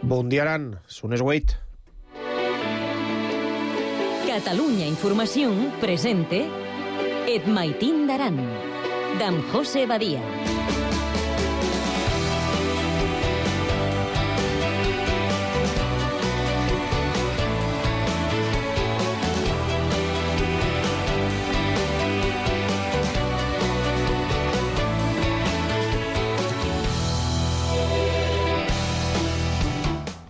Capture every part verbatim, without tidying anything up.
Bon dia, Aran. Són les vuit. Catalunya Informació presente Et Maitín d'Aran, d'en José Badia.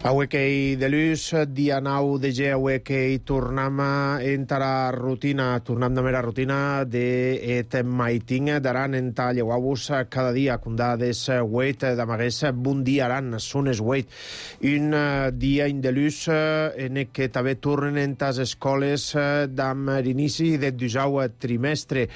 Avui que hi de l'ús, dia nou de ge, avui que hi tornem a entrar rutina, tornem de mera rutina de Et Maitín d'Aran en ta lleuau-vos cada dia, condà des huit d'amagués, bon dia Aran, són es huit. Un dia in de l'ús en què també tornen en tas escoles d'am l'inici del dusau trimestre.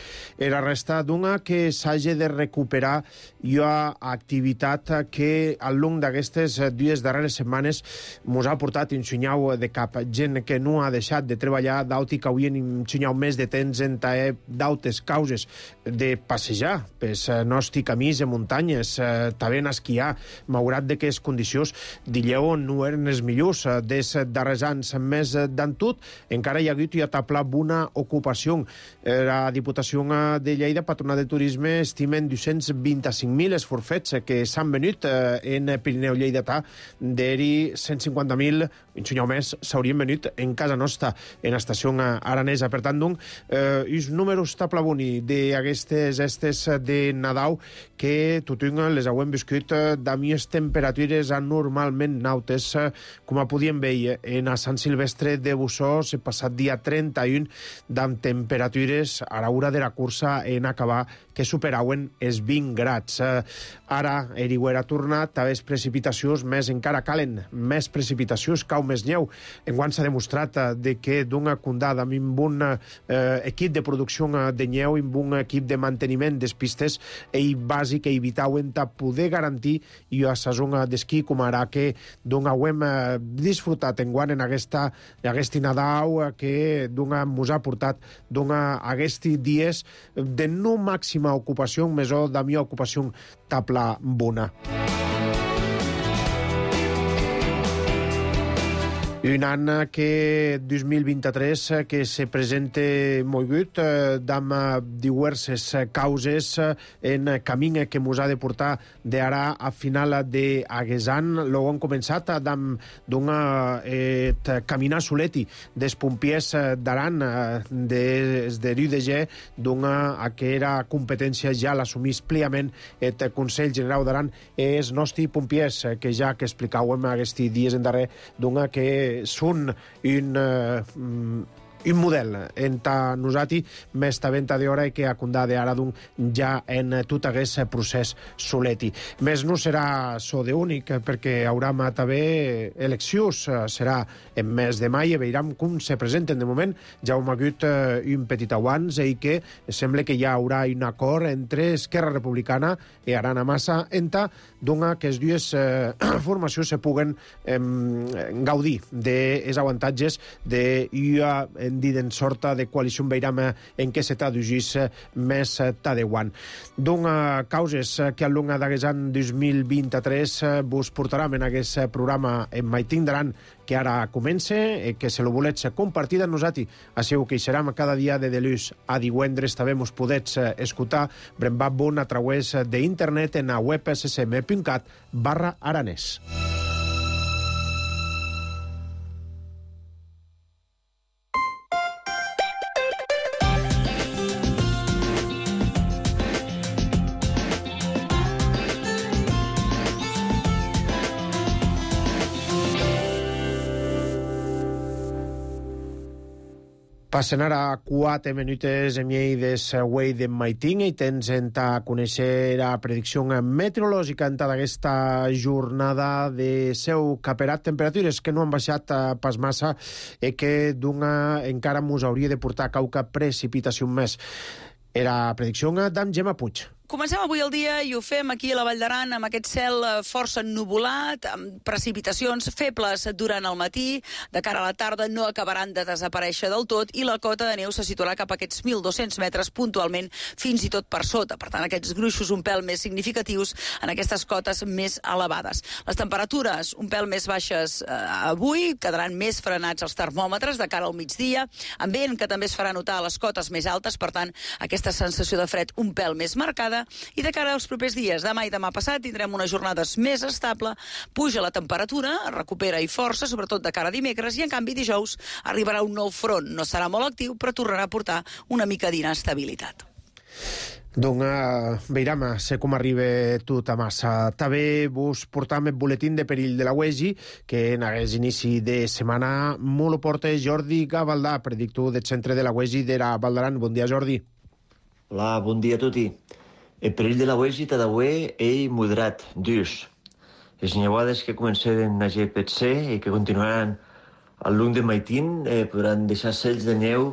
Era resta d'una que s'hagi de recuperar i una activitat que al long d'aquestes dues darreres setmanes mos ha portat un xunyau de cap. Gent que no ha deixat de treballar, d'auti que havien un xunyau més de temps en d'autes causes de passejar pels nostres camins de muntanyes, també en esquiar, malgrat de que les condicions d'illeu no eren els millors des darrers anys. Més d'en tot, encara hi ha hagut i ha taplat una ocupació. La Diputació de Lleida, Patronat de Turisme, estimen dos-cents vint-i-cinc mil els forfets que s'han venut en Pirineu Lleidatà, d'eri cent cinquanta mil, un xunyau més, s'haurien venut en casa nostra, en estació aranesa. Per tant, doncs, eh, els números taplaboni d'aquestes estes de Nadal que tothom les haurem viscut d'amies temperatures anormalment nautes, com a podíem veure en a Sant Silvestre de Bussós, el passat dia trenta-u, d'amb temperatures a l'hora de la cursa en acabar que superaven els vint grads. Ara, erigüer ha tornat a les precipitacions, més encara calen més precipitacions, cau més neu. Enguany s'ha demostrat de que d'una condada amb un eh, equip de producció de neu, amb un equip de manteniment des pistes, i bàsic que evitaven de poder garantir i a la zona d'esquí, com ara que d'una ho hem eh, disfrutat enguany en aquesta, aquest Nadal que d'una mos ha portat d'una aquests dies de no màxima ocupació, més o de mi ocupació tabla bona. Un any que dos mil vint-i-tres que se presenta molt gut, d'amb diverses causes en camí que mos ha de portar d'ara a final d'aquest any. Lo han començat d'amb d'una eh, caminar soleti dels pompiers d'Aran, des de l'U D G, d'una que era competència ja l'assumís pliament el Consell General d'Aran, els nostres pompiers, que ja que explicàvem aquests dies en darrer, d'una que són un, uh, un model entre nosaltres, més de venta d'hora i que a condà d'ara d'un ja en tot aquest procés soleti. Més no serà so de únic, perquè haurà també eleccions, serà en mes de maig, i veurem com se presenten. De moment ja hem hagut un petit avanç i que sembla que ja haurà un acord entre Esquerra Republicana i Arana Massa enta d'una que les dues eh, formacions se puguen eh, gaudir dels avantatges d'una en dit en sorta de coalició veïram en què se t'adugís més t'adeuant. D'una causes que al long d'aquest any dos mil vint-i-tres vos portarem en aquest programa En Maitín d'Aran, que ara comença, que se lo volets compartir amb nosaltres. Així que hi serem cada dia de delús a divendres. També mos podets escoltar Brembat Bon a través d'internet en a web s s m punt cat barra aranès. Passen ara quatre minutes en llei des Huey de Maitín i tens en ta conèixer la predicció meteorològica en ta d'aquesta jornada de seu caperat. Temperatures que no han baixat pas massa i que d'una encara mos hauria de portar cauca precipitació més. Era predicció d'en Gemma Puig. Comencem avui el dia i ho fem aquí a la Vall d'Aran amb aquest cel força ennuvolat, amb precipitacions febles durant el matí. De cara a la tarda no acabaran de desaparèixer del tot i la cota de neu se situarà cap a aquests mil dos-cents metres puntualment, fins i tot per sota. Per tant, aquests gruixos un pèl més significatius en aquestes cotes més elevades. Les temperatures un pèl més baixes eh, avui, quedaran més frenats els termòmetres de cara al migdia, amb vent que també es farà notar a les cotes més altes, per tant, aquesta sensació de fred un pèl més marcada. I de cara als propers dies, demà i demà passat, tindrem unes jornades més estable, puja la temperatura, recupera i força, sobretot de cara a dimecres, i en canvi dijous arribarà un nou front. No serà molt actiu, però tornarà a portar una mica d'inestabilitat. Donc, uh, veiram sé com arriba tot a massa. També vos portam el boletín de perill de la U E G I, que en aquest inici de setmana molt ho porta Jordi Gavaldà, predictor del centre de la U E G I de la Val d'Aran. Bon dia, Jordi. Hola, bon dia a tutti. El perill de la U E G I t'ha d'avui és moderat, dus. Les nevades que comencen a G P C i que continuaran al lung de Maitín eh, podran deixar cells de neu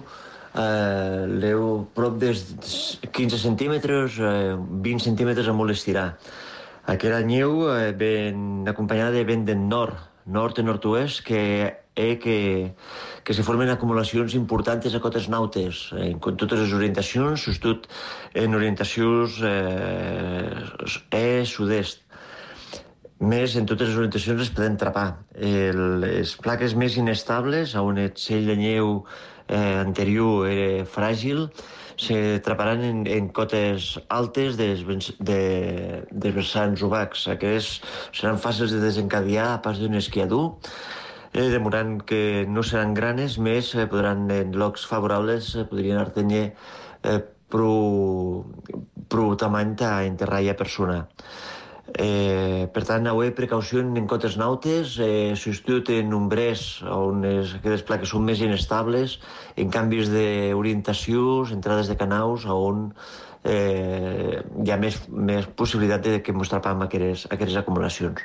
eh, leu prop dels quinze centímetres, eh, vint centímetres a molt estirar. Aquella neu eh, ben acompanyada de vent del nord, nord i nord-oest, que eh, que, que se formen acumulacions importants a cotes nautes, en totes les orientacions, sobretot en orientacions eh, est, sud-est. Més, en totes les orientacions es poden trapar. El, les plaques més inestables, on el cell de neu eh, anterior era fràgil, se traparan en, en cotes altes dels, de, dels vessants obacs. Aquests seran fàcils de desencadear a pas d'un esquiador, eh, demorant que no seran granes, més eh, podran, en llocs favorables, eh, podrien artenyer eh, prou, prou tamany a enterrar a persona. Eh, per tant, avui precaució en cotes nautes, eh, substitut en umbrers on es, aquestes plaques són més inestables, en canvis d'orientacions, entrades de canaus on eh, hi ha més, més possibilitat de que ens trapem aquestes, aquestes acumulacions.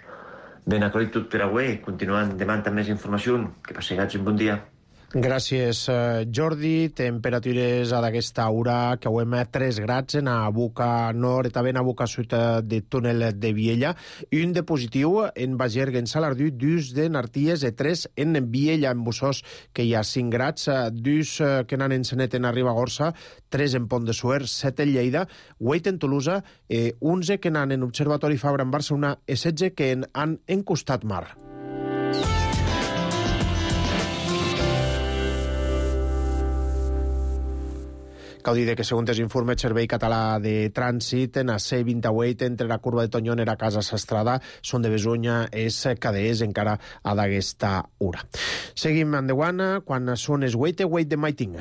Ben acollit tot per avui, continuant demant amb més informació. Que passegats un bon dia. Gràcies, Jordi. Temperatures a d'aquesta hora que avui hem tres grads en a boca nord i també en a boca sud de túnel de Viella. Un de positiu en Bagergue, en Salardú, dos de Narties i tres en Viella, en Bussós, que hi ha cinc grads, dos que n'han en Senet en Ribagorça, tres en Pont de Suert, set en Lleida, vuit en Tolosa, eh, onze que n'han en Observatori Fabra en Barcelona i setze que en han en Costat Mar. Cal dir que, segons els informes del Servei Català de Trànsit, en la C vint-i-vuit, entre la curva de Tonyon i la Casa Sastrada, són de Besunya, és cadés encara a d'aquesta hora. Seguim endavant quan són les vuit de Maiting.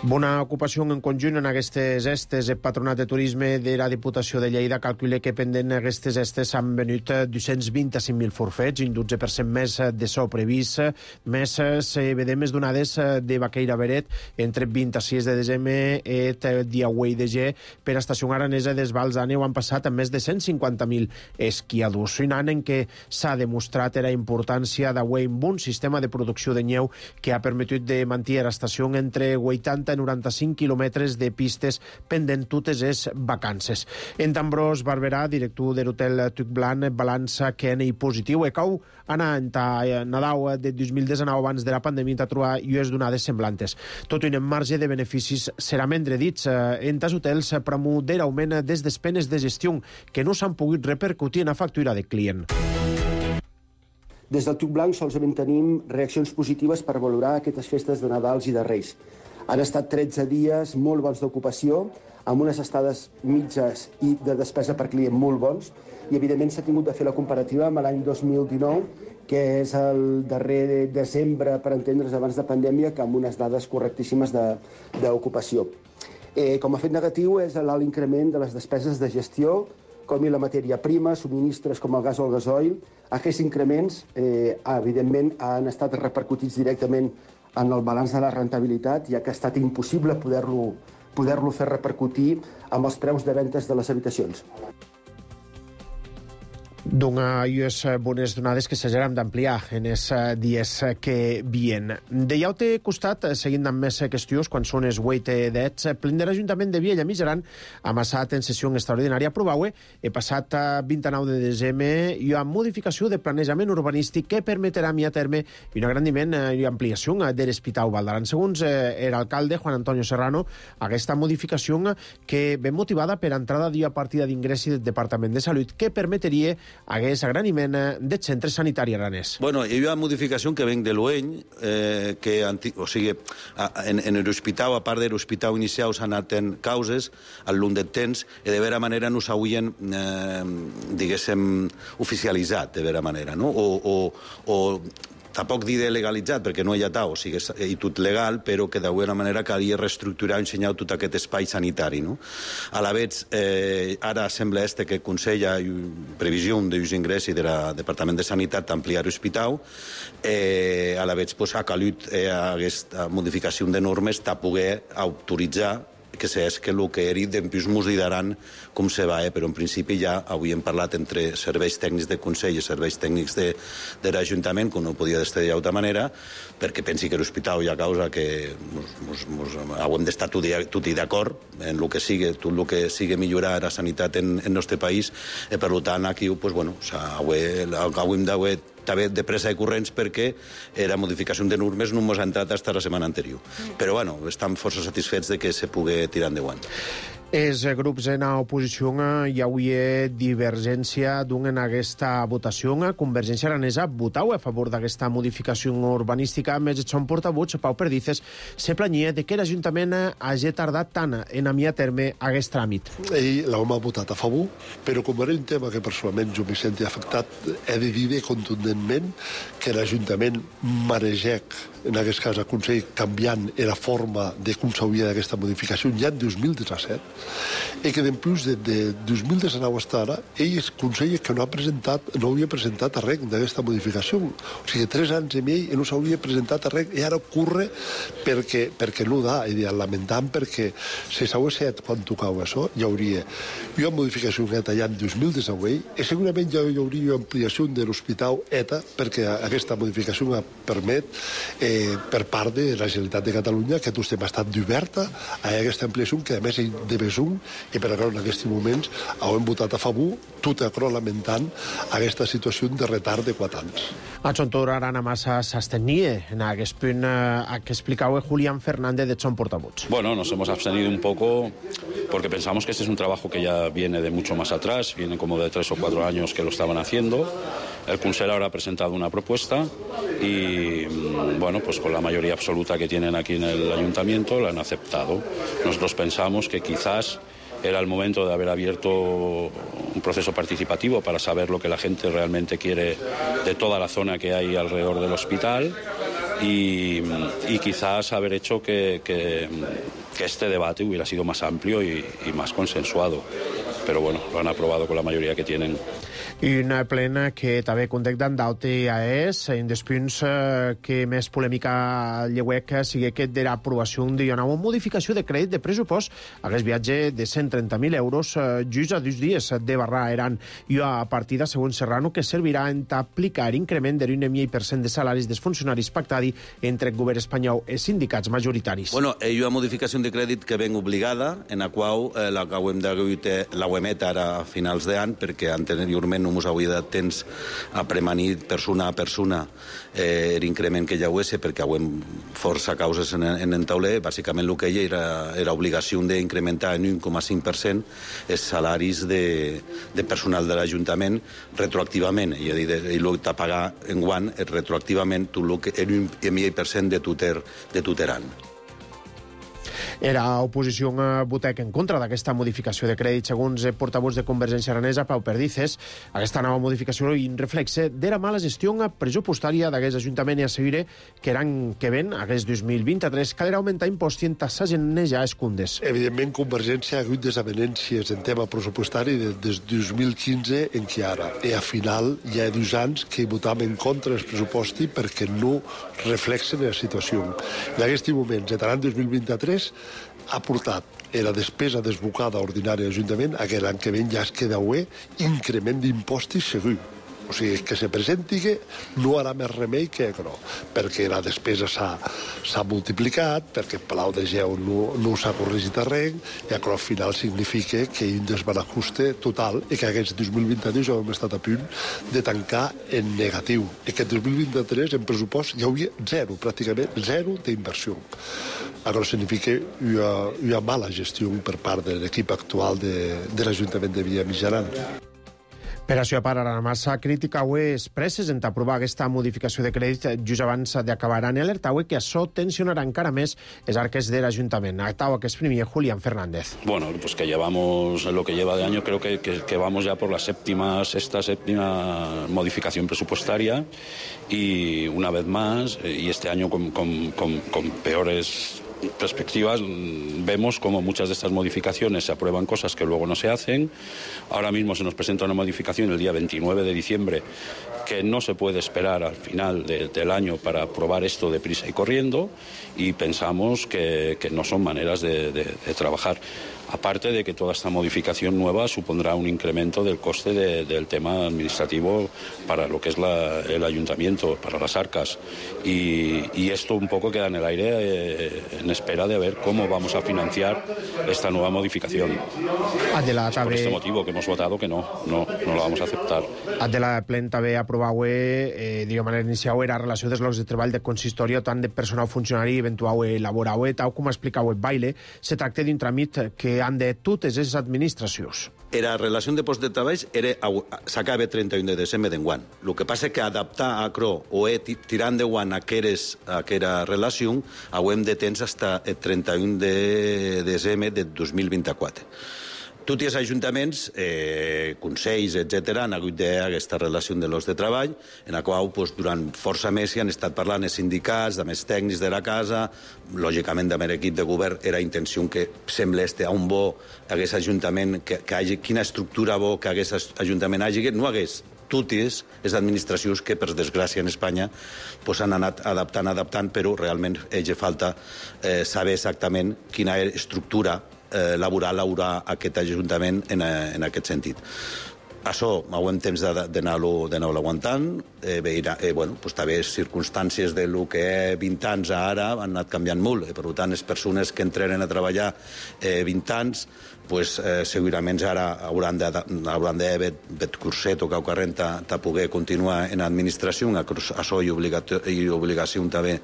Bona ocupació en conjunt en aquestes estes. El Patronat de Turisme de la Diputació de Lleida calcula que pendent aquestes estes s'han venut dos-cents vint-i-cinc mil forfets, un dotze per cent més de so previst, més se vedem més donades de Baqueira Beret entre vint-i-sis de desembre i el dia vuit de gener per a Estació Aranesa des Vals d'Àneu han passat amb més de cent cinquanta mil esquiadors. Un any en què s'ha demostrat la importància d'avui amb un sistema de producció de neu que ha permetut de mantenir l'estació entre vuitanta i noranta-cinc quilòmetres de pistes pendent totes les vacances. En Ambrós Barberà, director de l'hotel Tuc Blanc, balança que en positiu e cau anar en Nadal de dos mil diecinueve abans de la pandèmia a trobar llues donades semblantes. Tot un marge de beneficis serà mendre dits en tas hotels promoure augment des despenes de gestió que no s'han pogut repercutir en la factura de client. Des del Tuc Blanc solament tenim reaccions positives per valorar aquestes festes de Nadals i de Reis. Han estat tretze dies molt bons d'ocupació, amb unes estades mitges i de despesa per client molt bons, i evidentment s'ha tingut de fer la comparativa amb l'any dos mil dinou, que és el darrer desembre, per entendre's, abans de pandèmia, que amb unes dades correctíssimes d'ocupació. Eh, com a fet negatiu és l'alt increment de les despeses de gestió, com i la matèria prima, subministres com el gas o el gasoil. Aquests increments, eh, evidentment, han estat repercutits directament en el balanç de la rentabilitat, ja que ha estat impossible poder-lo poder-lo fer repercutir amb els preus de ventes de les habitacions. Donades bones donades que s'haguem d'ampliar en els dies que vien. De llaute costat, seguint amb més qüestions, quan són els vuit dets, plen de l'Ajuntament de Viella Mijaran, amassat en sessió extraordinària, aprovaue, he passat vint-i-nou de desembre, i una modificació de planejament urbanístic que permetrà a terme un agrandiment i ampliació de l'Hospital Valdaran. Segons l'alcalde Juan Antonio Serrano, aquesta modificació que ve motivada per entrada d'una partida d'ingressi del Departament de Salut que permetria aquest agraniment del centre sanitari aranès. Bueno, hi ha una modificació que ven de l'Ueny, eh, que, o sigui, en, en l'hospital, a part de l'hospital inicial, s'han anat en causes al llarg del temps, i de vera manera no s'haurien, eh, diguéssim, oficialitzat, de vera manera, no? O, o, o tampoc dir de legalitzat, perquè no hi ha tal, o sigui, és tot legal, però que d'alguna manera calia reestructurar i ensenyar tot aquest espai sanitari, no? A la vegada, eh, ara sembla este que consella previsió dels ingressos del Departament de Sanitat d'ampliar l'hospital, eh, a la vegada pues, ha calut eh, aquesta modificació de normes de poder autoritzar que és que el que era després mos diran com se va, eh? Però en principi ja avui hem parlat entre serveis tècnics de Consell i serveis tècnics de, de l'Ajuntament, que no podia d'estar d'altra manera, perquè pensi que l'hospital hi ha causa que mos, mos, mos, hauem d'estar tots d'acord en el que sigui, tot el que sigui millorar la sanitat en el nostre país, i per tant aquí pues, bueno, hauem d'haver també de pressa de corrents perquè la modificació de normes no ens ha entrat fins la setmana anterior. Però, bueno, estem força satisfets de que se pugui tirar endavant. Els grups en oposició hi hauria divergència en aquesta votació. Convergència Aranesa votau a favor d'aquesta modificació urbanística, més el seu portavoç, Pau Perdices, se planyia de que l'Ajuntament hagi tardat tant en enviar a terme aquest tràmit. Ell l'home ha votat a favor, però com era un tema que personalment jo m'hi senti afectat, he de dir contundentment que l'Ajuntament marejec, en aquest cas el Consell, canviant la forma de com s'hauria d'aquesta modificació ja en dos mil disset, i que després de, de dos mil dinou fins ara, ell es consella que no ha presentat, no havia presentat res d'aquesta modificació. O sigui, tres anys i mig no s'hauria presentat res, i ara ocorre perquè, perquè no da, i lamentant perquè si s'hagués fet quan tocava això, hi hauria una modificació neta ja en dos mil dinou, i segurament ja hi hauria una ampliació de l'Hospital E T A, perquè aquesta modificació permet eh, per part de la Generalitat de Catalunya que tot ha estat oberta a aquesta ampliació, que a més hi de un, i per això en aquests moments hem votat a favor, tot acro lamentant aquesta situació de retard de quatre anys. A Chontor Arana Massa s'astenia en aquest punt eh, que explicaba Julián Fernández de Chon Portavoz. Bueno, nos hemos abstenido un poco porque pensamos que este es un trabajo que ya viene de mucho más atrás, viene como de tres o cuatro años que lo estaban haciendo. El Consell ahora ha presentado una propuesta y, bueno, pues con la mayoría absoluta que tienen aquí en el Ayuntamiento la han aceptado. Nosotros pensamos que quizás era el momento de haber abierto un proceso participativo para saber lo que la gente realmente quiere de toda la zona que hay alrededor del hospital y, y quizás haber hecho que, que, que este debate hubiera sido más amplio y, y más consensuado. Però bueno, lo han aprobado con la mayoría que tienen. I una plena que també contacten d'Aute A E S, en dels punts que més polèmica lleuec sigui aquest de l'aprovació d'una nova modificació de crèdit de pressupost a aquest viatge de cent trenta mil euros just a dos dies de barrar Aran i a partida, segons Serrano, que servirà en aplicar increment de l'un coma cinc per cent de salaris dels funcionaris pactadi entre el govern espanyol i sindicats majoritaris. Bueno, hi ha una modificació de crèdit que ven obligada, en la qual eh, la que hem de la emet ara a finals d'any, perquè anteriorment no ens hauria dat temps a premanir persona a persona eh, l'increment que hi hagués, perquè hauem força causes en, en el tauler. Bàsicament el que hi era, era obligació d'incrementar en un coma cinc per cent els salaris de, de personal de l'Ajuntament retroactivament, i, i el que pagar en guant retroactivament tot el que era un coma cinc per cent de tuter, de tuteran. Era oposició votec en contra d'aquesta modificació de crèdit, segons el portavoç de Convergència Aranesa, Pau Perdices. Aquesta nova modificació i reflexe de la mala gestió pressupostària d'aquest Ajuntament i assegura que l'any que ven, aquest dos mil vint-i-tres, caldrà augmentar imposts i taxes en ja escundes. Evidentment, Convergència ha hagut desavenències en tema pressupostari des de dos mil quinze en què ara. I al final hi ha dos anys que votam en contra del pressuposti perquè no reflexen la situació. En aquest moment, l'any dos mil vint-i-tres, ha portat la despesa desbocada ordinària de l'Ajuntament, aquell any que ven ja es queda bé, increment d'impostos segur. O sigui, que se presenti que no harà més remei que no, perquè la despesa s'ha multiplicat, perquè el Palau de Geu no, no s'ha corregit a res, i al final significa que hi ha un desbarajuste total i que aquest dos mil vint-dos ja hem estat a punt de tancar en negatiu. I aquest dos mil vint-tres en pressupost hi hauria zero, pràcticament zero d'inversió. Això significa que hi ha, hi ha mala gestió per part de l'equip actual de, de l'Ajuntament de Villamitjaran. Per això, per a la massa crítica, avui es present a aprovar aquesta modificació de crèdit just abans d'acabar l'any, alerta avui que això tensionarà encara més les arques de l'Ajuntament. Actava que exprimia Julián Fernández. Bueno, pues que llevamos lo que lleva de año, creo que, que, que vamos ya por la séptima, sexta, séptima modificación presupuestaria y una vez más, y este año con, con, con, con peores perspectivas, vemos como muchas de estas modificaciones se aprueban cosas que luego no se hacen. Ahora mismo se nos presenta una modificación el día veintinueve de diciembre que no se puede esperar al final de, del año para aprobar esto deprisa y corriendo, y pensamos que, que no son maneras de, de, de trabajar. Aparte de que toda esta modificación nueva supondrá un incremento del coste de, del tema administrativo para lo que es la, el ayuntamiento, para las arcas. Y, y esto un poco queda en el aire eh, en espera de ver cómo vamos a financiar esta nueva modificación. Adela, es por este motivo que hemos votado que no, no, no lo vamos a aceptar. Adela, plen també aprovar eh, de manera inicial la relació dels llocs de treball de consistoria tant de personal funcionari eventual laboral. Tal com explicava el Baile, se tracta d'un tràmit que han de totes les administracions. La relació de post de treball s'acaba el trenta-u de desembre d'enguany. El que passa és que adaptar a Cro o e tirar endavant aquella relació ho hem de temps fins el trenta-u de desembre de dos mil vint-quatre. Tots els ajuntaments, eh, consells, etcètera, han hagut d'aquesta relació de llocs de treball, en la qual pues, durant força mesos han estat parlant els sindicats, de més tècnics de la casa, lògicament amb l'equip de govern era intenció que sembla este a un bo hagués ajuntament, que, que hagi, quina estructura bo que hagués ajuntament hagi, que no hagués totes les administracions que, per desgràcia, en Espanya pues, han anat adaptant, adaptant, però realment ells falta eh, saber exactament quina estructura Eh, laboral haurà aquest Ajuntament en, en aquest sentit. Això ho hem temps d'anar-lo aguantant. Eh, veurà, eh, bueno, pues, també circumstàncies de lo que és vint anys a ara han anat canviant molt. Eh, per tant, les persones que entraren a treballar eh, vint anys pues, eh, segurament ara hauran d'haver bet curset o cau carrent a, a poder continuar en l'administració. Això hi ha obligació també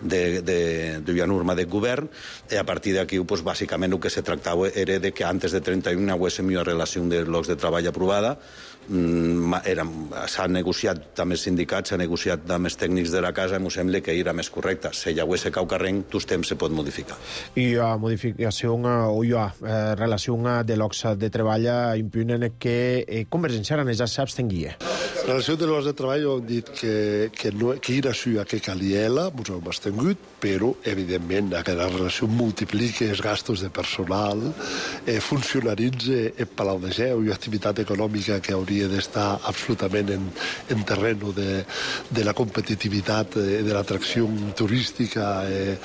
de, de, de la norma del govern. I a partir d'aquí, pues, bàsicament, el que se tractava era de que antes de trenta-u hi hagués una relació de llocs de treball aprovada. S'ha negociat amb els sindicats, s'ha negociat amb els tècnics de la casa, em sembla que era més correcte. Si hi hagués cau carrent, tots temps se pot modificar. I la modificació o la relació de llocs de treball impunen que Convergència Aranesa s'abstenguia. La relació de llocs de treball hem dit que, que, no, que era això que calia, ens hem abstengut, però, evidentment, aquesta relació multiplica els gastos de personal, eh, funcionaritza el Palau de Geu i activitat econòmica que hauria d'estar absolutament en, en terreno de, de la competitivitat, eh, de l'atracció turística, eh,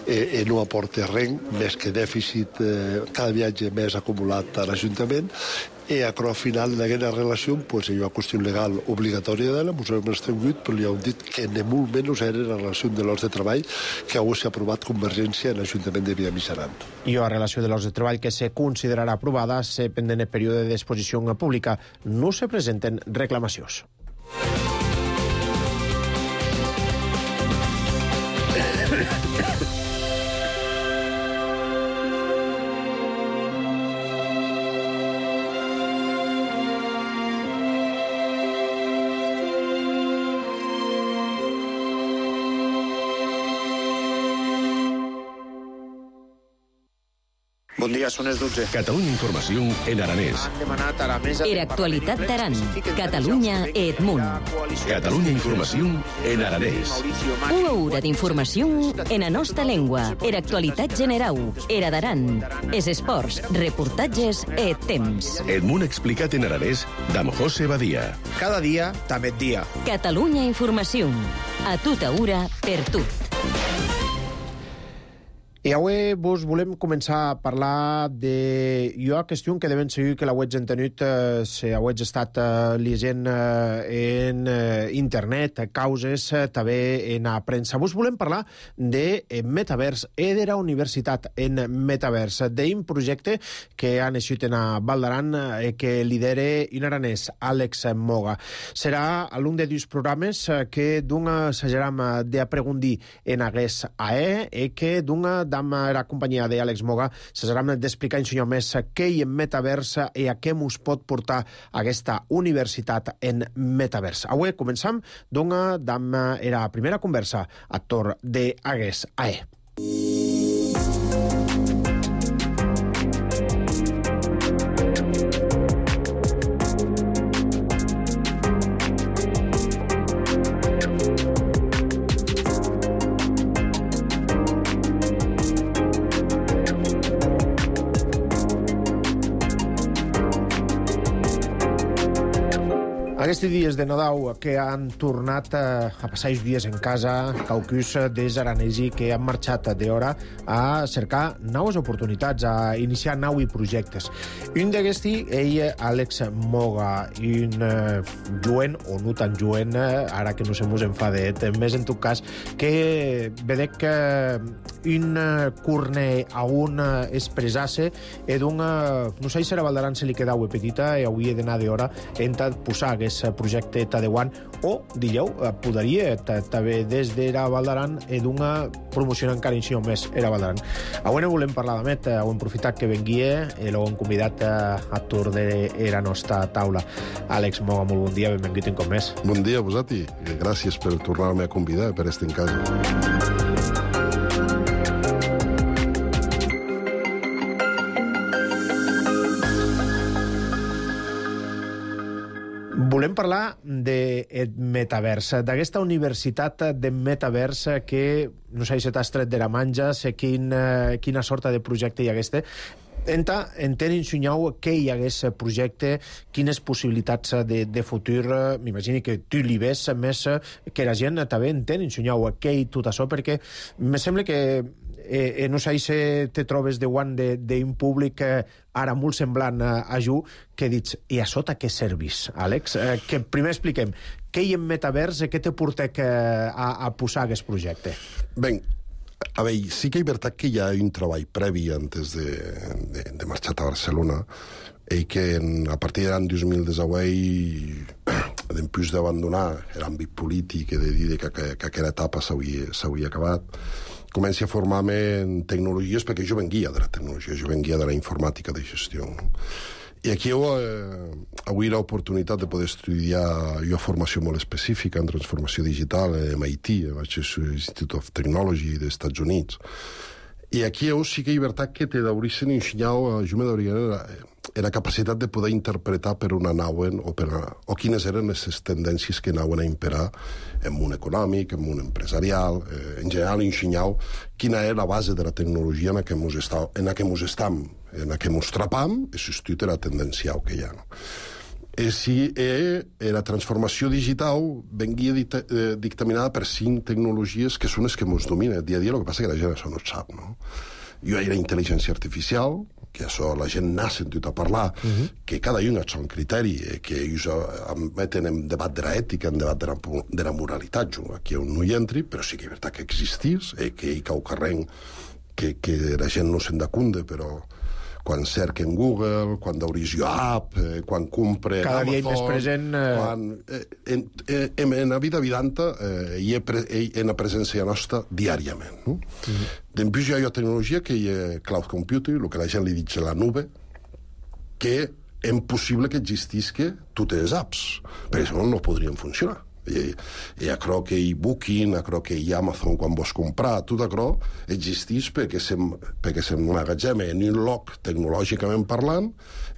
eh, eh, no aporta res, més que dèficit, eh, cada viatge més acumulat a l'Ajuntament. I a al final d'aquesta relació pues, hi ha una qüestió legal obligatòria d'ella, ens hem extingut, però li hem dit que ni molt menys era la relació de llocs de treball que avui s'ha aprovat Convergència en l'Ajuntament de Villamitjaran. I la relació de llocs de treball que se considerarà aprovada se pendent el període d'exposició pública. No se presenten reclamacions. Bon dia, són les dotze. Catalunya Informació en aranès. Era actualitat d'Aran. Catalunya et Munt. Catalunya Informació en aranès. Una hora d'informació en la nostra llengua. Era actualitat generau. Era d'Aran. Es esports, reportatges et temps. Et Munt explicat en aranès d'Am José Badia. Cada dia, també et dia. Catalunya Informació. A tota hora, per tot. I avui vos volem començar a parlar de una qüestió que devem seguir que l'auets entenut, eh, si auets estat eh, llegint eh, en eh, internet, causes, eh, també en la premsa. Vos volem parlar de eh, Metavers, e de la universitat en Metavers, d'un projecte que ha naixut en a Val d'Aran, eh, que lidera in aranès Àlex Moga. Serà algun de dos programes eh, que d'una s'ajaram d'apregundir en aguest A E e que d'una amb la companyia d'Àlex Moga s'ajaram d'explicar en senyor més què hi en Metavers i a què mos pot portar aquesta universitat en Metavers. Avui començam d'una amb la primera conversa a torn d'aguest A E. Aquests dies de Nadal que han tornat a passar els dies en casa, caucus des aranesi que han marxat d'hora a cercar noves oportunitats, a iniciar nous projectes. Un d'aquests, ell, Àlex Moga, un uh, joven, o no tan joven, ara que no se mos enfadet, més en tot cas, que vedec que un curne a un expressasse e d'un, no sé si a Val d'Aran se li quedava petita i avui he d'anar d'hora en posar aquest projecte tadeuant o, digueu, podria també des de la Val d'Aran e d'una promoció encara inció més a la Val d'Aran. Avui no volem parlar de Met, ho hem aprofitat que venguia i l'hem convidat a torn de la nostra taula. Àlex Moga, molt bon dia, benvingut un cop més. Bon dia a vosaltres, gràcies per tornar-me a convidar per estar en casa. Volem parlar de Metavers, d'aquesta universitat de Metavers que, no sé si t'has tret de la manja, sé quin, quina sorta de projecte hi ha aquesta. Enta, entén ensenyau què hi ha aquest projecte, quines possibilitats de, de futur, m'imagini que tu li ves més que la gent també entén ensenyau què hi tot això, perquè me sembla que eh, no sé si te trobes de guant d'un públic eh, ara molt semblant a, a Ju, que dits, i a sota què servís, Àlex? Eh, que primer expliquem, què hi ha en Metavers i què te portec eh, a, a posar aquest projecte? Ben, a veure, sí que és veritat que hi ha un treball previ antes de, de, de marxar a Barcelona i que en, a partir de l'any dos mil divuit, després d'abandonar l'àmbit polític i de dir que, que, que aquella etapa s'havia acabat, comenci a formar-me en tecnologies, perquè jo venguia de la tecnologia, jo venguia de la informàtica de gestió. No? I aquí heu, eh, avui l'oportunitat de poder estudiar una formació molt específica en transformació digital a M I T, a l'Institute of Technology dels Estats Units. I aquí heu sí que hi ha veritat que te d'haurien ensenyat, jo me d'hauria la capacitat de poder interpretar per on anaven o, per, o quines eren les tendències que anaven a imperar en món econòmic, en món empresarial, eh, en general ensenyau quina era la base de la tecnologia en la que mos estam, en la que mos estam, en la que mos trapam, i substituir la tendencial que hi ha. No? E si e, e la transformació digital venguia dicta, eh, dictaminada per cinc tecnologies que són les que mos dominen dia a dia, el que passa que la gent això no ho sap, no? Jo hi ha la intel·ligència artificial, que això la gent n'ha sentit a parlar, uh-huh. que cada un ha un criteri, que ells meten en debat de l'ètica, en debat de la, de la moralitat, jo aquí on no hi entri, però sí que és veritat que existís, eh, que hi cau carreng, que, que la gent no se'n d'acunde, però quan cerca en Google, quan d'obris jo app, eh, quan compre cada Amazon... dia hi més present... Eh... Quan, eh, en, eh, en, en la vida vidanta eh, hi ha pre, en la presència nostra diàriament. No? Mm-hmm. Després hi ha una tecnologia que hi ha cloud computing, el que la gent li diu la nube, que és possible que existisca totes les apps, perquè si no, no podrien funcionar. I, i aquello que hi Booking, aquello que hi Amazon quan vols comprar, tot aquello existeix perquè s'emmagatzema en un lloc tecnològicament parlant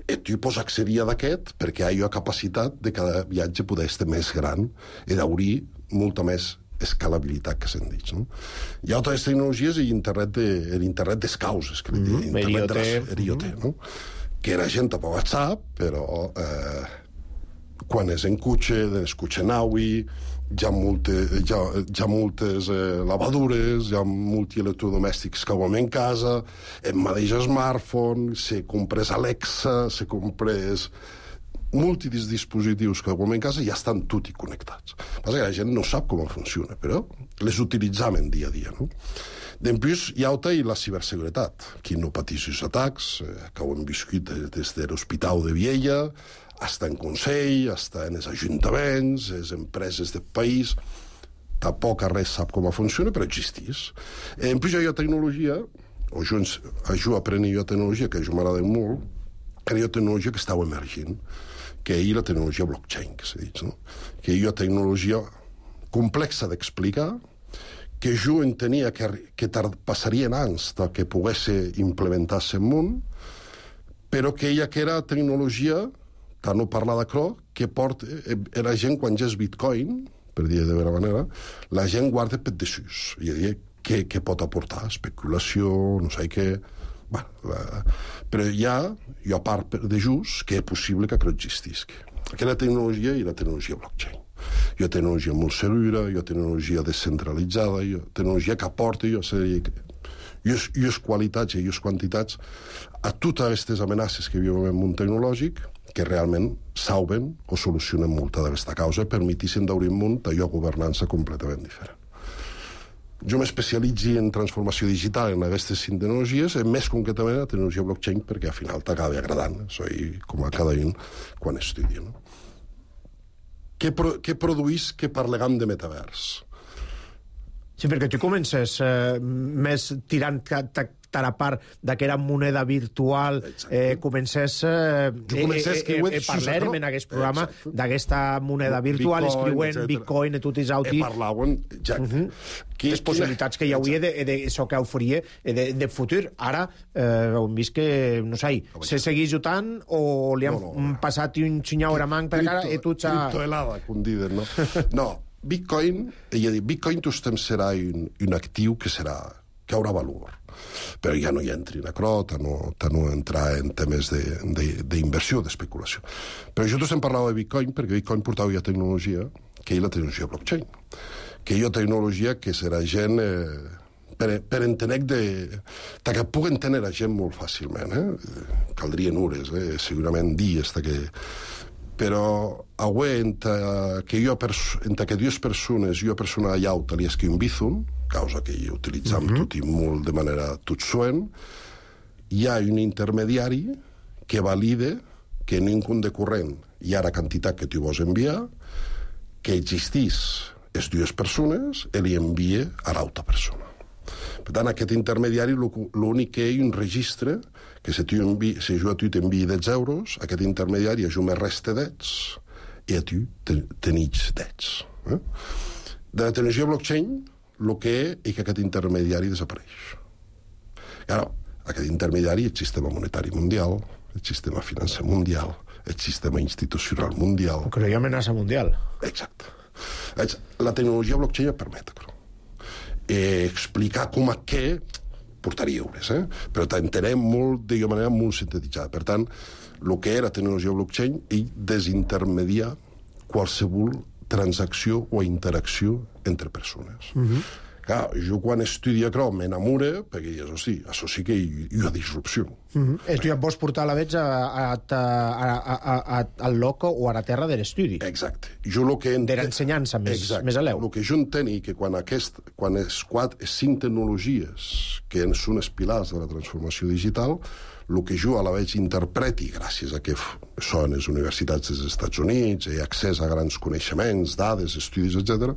i tu pots accedir a d'aquest perquè hi ha capacitat de cada viatge poder ser més gran i d'obrir molta més escalabilitat que se'n diu. No? Hi ha altres tecnologies i internet de, l'internet des causes, que li diuen, mm-hmm. internet de l'I O T, no? Que la gent tampoc sap, però... Eh, quan és en cotxe, escucha naui, hi ha, multe, hi ha, hi ha moltes eh, lavadures, hi ha multielectrodomèstics que ho hem en casa, hem mateix smartphone, se compres Alexa, se compres múltiples dispositius que ho hem en casa, ja estan tutti connectats. Passa que la gent no sap com funciona, però les utilitzam en dia a dia, no? Després hi ha i la ciberseguretat. Qui no patís els atacs, eh, que ho hem viscut des de l'Hospital de Viella, hasta en Consell, hasta en els ajuntaments, les empreses del país. Tampoc res sap com funciona, però existís. En plus hi ha tecnologia, o jo, jo aprenc jo tecnologia, que jo m'agrada molt, que hi ha tecnologia que estava emergint, que hi ha la tecnologia blockchain, que s'ha dit, no? Que hi ha tecnologia complexa d'explicar, que jo entenia que, que passarien anys que pogués implementar-se en món, però que ella que era tecnologia, tant no parlar d'això, que porta, era gent, quan ja és Bitcoin, per dir de vera manera, la gent guarda per desús. I a dir, què, què pot aportar? Especulació, no sé què... Bueno, la... Però hi ha, hi ha part de just que és possible que això existisca. Aquella tecnologia i la tecnologia blockchain. Hi ha tecnologia molt segura, hi ha tecnologia descentralitzada, hi ha tecnologia que aporta, hi ha les qualitats i les quantitats a totes aquestes amenaces que vivim en el món tecnològic que realment salven o solucionen molta d'aquesta causa i permetissin d'obrir un món d'allò governança completament diferent. Jo m'especialitzi en transformació digital en aquestes cinc tecnologies, més concretament la tecnologia blockchain, perquè al final t'acaba agradant, soy com a cada un quan estudia, no? Què, pro, què produís que parlem de metavers? Sí, perquè tu comences eh, més tirant a la part d'aquella moneda virtual, eh, comences eh, comences eh, eh, eh, parlarem en aquest programa d'aquesta moneda virtual, Bitcoin, escriuen etcètera. Bitcoin i tot és auti. E parlaven, ja, uh -huh. les possibilitats que hi hauria d'això que oferia de, de futur. Ara eh, hem vist que, no sé, se segueix jutant o li han no, no. passat un xinyau a manc per cara i tu ja... Criptohelada, com diuen, no? No, Bitcoin, ella diu, Bitcoin tot temps serà un, un actiu que serà, que haurà valor. Però ja no hi entri en acrò, no, no entrar en temes d'inversió, de, d'especulació. Però jo tots em parlava de Bitcoin perquè Bitcoin portava ja tecnologia, que és la tecnologia blockchain, que hi ha tecnologia que serà gent... Eh, per, per entenec de... que pugui entendre la gent molt fàcilment, eh? Caldrien hores, eh? Segurament dies, que... però avui, entre que, jo, entre que dues persones, jo persona allà li escriu un Bizum, causa que hi utilitzam uh -huh. tot i molt de manera tot suent, hi ha un intermediari que valide que en un compte de corrent hi ha la quantitat que tu vols enviar, que existís les dues persones i li envia a l'altra persona. Per tant, aquest intermediari l'únic que hi ha un registre que si, tu envi, si jo a tu t'enviï deu euros, aquest intermediari a jo me resta dets i a tu tenits dets. Eh? De la tecnologia blockchain, el que és que aquest intermediari desapareix. Ara, aquest intermediari és el sistema monetari mundial, el sistema financer mundial, el sistema institucional mundial... Però hi ha amenaça mundial. Exacte. La tecnologia blockchain et permet això. Eh, explicar com a què portaria hores, eh? Però t'entenem molt, de manera molt sintetitzada. Per tant, el que era tecnologia blockchain és desintermediar qualsevol transacció o interacció entre persones. Uh-huh. Clar, jo quan estudia això m'enamora, perquè dius, hosti, això sí que hi, hi ha disrupció. Uh-huh. Eh, tu ja pots portar la veig a, a, a, a, a, al loco o a la terra de l'estudi. Exacte. Jo lo que ent... De l'ensenyança més, més a l'eu. El que jo entenc és que quan, aquest, quan les quatre, cinc tecnologies que són els pilars de la transformació digital, el que jo a la veig interpreti, gràcies a que són les universitats dels Estats Units, i accés a grans coneixements, dades, estudis, etcètera,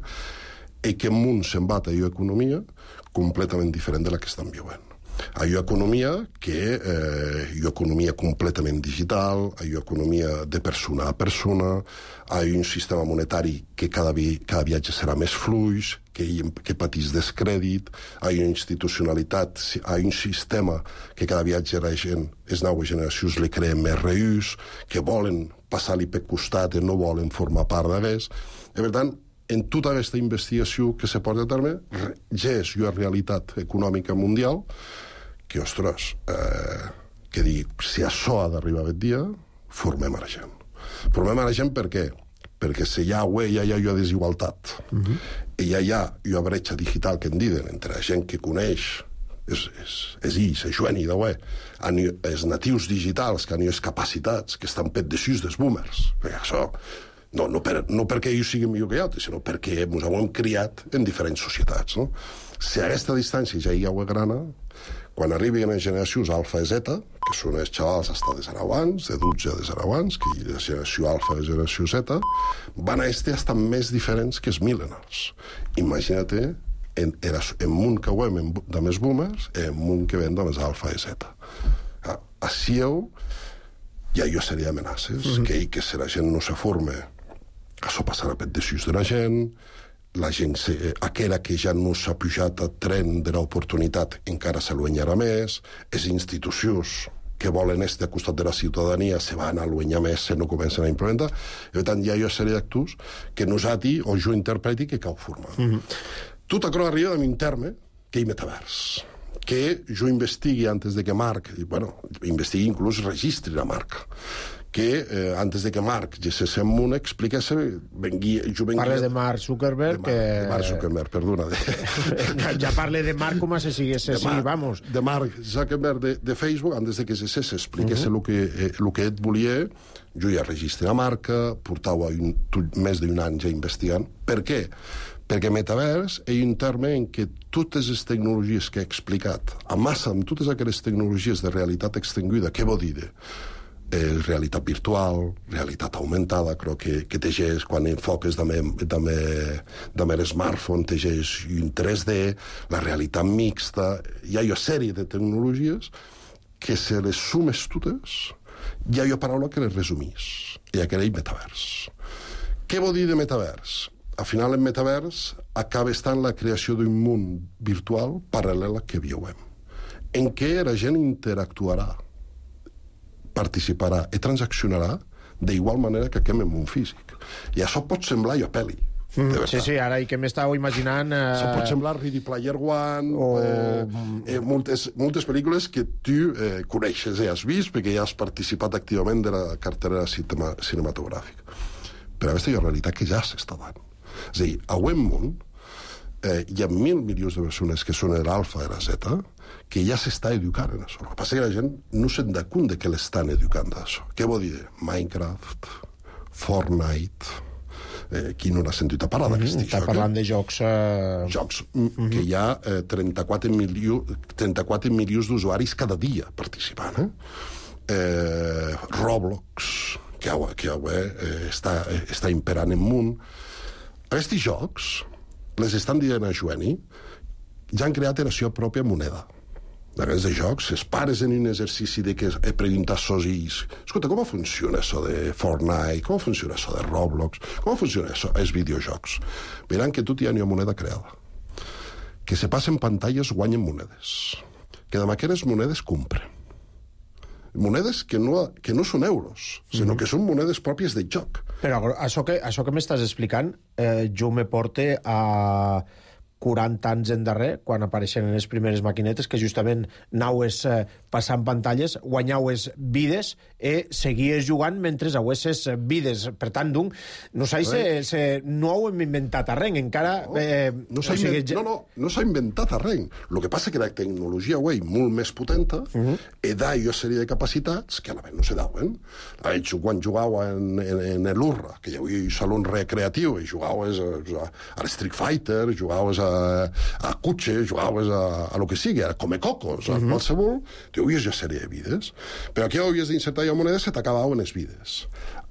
i que el món se'n va a allò economia completament diferent de la que estan viuen. Allò economia que eh, hi ha economia completament digital, hi ha economia de persona a persona, hi ha un sistema monetari que cada, vi, cada viatge serà més fluix, que, que patís descrèdit, hi ha una institucionalitat, hi ha un sistema que cada viatge la gent, les noves generacions li creen més reús, que volen passar-li per costat i no volen formar part d'hagués. I per tant, en tota aquesta investigació que se porta a terme, ja és una realitat econòmica mundial que, ostres, eh, que dic, si això ha d'arribar aquest dia, formem a la gent. Formem a la gent per què? perquè si hi ha web ja hi ha desigualtat. Uh-huh. I ja hi ha una bretxa digital que en diuen entre la gent que coneix és, és, és ells, és Joani de web, els natius digitals que han les capacitats que estan pet de sus dels boomers. Perquè això, no, no, per, no perquè ells siguin millor que altres, sinó perquè ens hem criat en diferents societats. No? Si a aquesta distància ja hi ha web grana, quan arribin les generacions alfa i zeta, que són els xavals hasta de zero anys, de dotze de zero anys, que la generació alfa i la generació zeta, van a este hasta més diferents que els millennials. Imagina't en, era, en món que ho hem de més boomers, en món que ven de més alfa i zeta. Així hi ha una sèrie d'amenaces, mm-hmm. que, que si la gent no se forma, això passarà per desús de la gent, la gent, se, aquella que ja no s'ha pujat al tren de l'oportunitat encara se l'uenyarà més, les institucions que volen estar al costat de la ciutadania se van a l'uenyar més, se no comencen a implementar, i per tant hi ha una sèrie d'actors que nosaltres, o jo interpreti, que cal formar. Mm-hmm. Tot això arriba d'un terme que és metavers, que jo investigui antes de que Marc, i, bueno, investigui inclús registri la marca, que eh, antes de que Marc gessés en Muna expliqués... Vengui, jo vengui... Parles de Mark Zuckerberg, de Mark, que... De Mark Zuckerberg, perdona. De... ja parle de Marc com si sigués així, vamos. De Mark Zuckerberg de, de Facebook, antes de que gessés expliqués uh-huh. el que, eh, el que et volia, jo ja registri la marca, portava un, més d'un any ja investigant. Per què? Perquè metavers és un terme en què totes les tecnologies que he explicat, a massa amb totes aquelles tecnologies de realitat extinguida, què vol dir? Eh, realitat virtual, realitat augmentada, crec que, que tegeix, quan enfoques amb el smartphone, tegeix un tres D, la realitat mixta, hi ha una sèrie de tecnologies que se les sumes totes, hi ha una paraula que les resumís, i aquella és metavers. Què vol dir de metavers? Al final, el metavers acaba estant la creació d'un món virtual paral·lel al que viuem, en què la gent interactuarà, participarà i transaccionarà d'igual manera que aquest món físic. I això pot semblar una pel·li. Mm, sí, sí, ara i que m'estàu imaginant... Eh... Això pot semblar Ready Player One, o... eh, eh, moltes, moltes pel·lícules que tu eh, coneixes i has vist perquè ja has participat activament de la cartera cinema, cinematogràfica. Però aquesta és una realitat que ja s'està dant. És a dir, a un món eh, hi ha mil milions de persones que són l'alfa i la zeta que ja s'està educant en això. El que passa és que la gent no se'n da compte que l'estan educant d'això. Què vol dir? Minecraft, Fortnite... Eh, qui no n'ha sentit a parlar d'aquest mm-hmm, joc? Està parlant de jocs... Eh... Jocs mm-hmm. que hi ha eh, trenta-quatre milions d'usuaris cada dia participant. Eh? Eh, Roblox, que, que eh, està, eh, està imperant en món. Aquests jocs les estan dient a Joani, ja han creat la seva pròpia moneda. D'aquests jocs, es pares en un exercici de que preguntar sos ells, escolta, com funciona això de Fortnite, com funciona això de Roblox, com funciona això, els videojocs? Veran que tot hi ha una moneda creada. Que se passen pantalles guanyen monedes. Que amb aquestes monedes compren. Monedes que no, que no són euros, sinó mm-hmm. que són monedes pròpies del joc. Però això que, això que m'estàs explicant, eh, jo me porte a quaranta anys endarrer, quan apareixen les primeres maquinetes, que justament anaues eh, passant pantalles, guanyaues vides i seguies jugant mentre auesses vides. Per tant, donc, no s'ha se, se, no ho hem inventat a res, encara... Eh, no, s'ha inven... no, no, no s'ha inventat a res. El que passa és que la tecnologia avui molt més potenta uh-huh. i da una sèrie de capacitats que a la vegada no se dauen. Quan jugau en, en, en l'Urra, que hi havia un saló recreatiu, i jugaues a, a l'Street Fighter, jugaues a a cotxe, jugaves a, a lo que sigui, a comer cocos, a uh-huh. qualsevol, tu havies ja sèrie de vides. Però aquí havies d'insertar ja moneda, se t'acabaven les vides.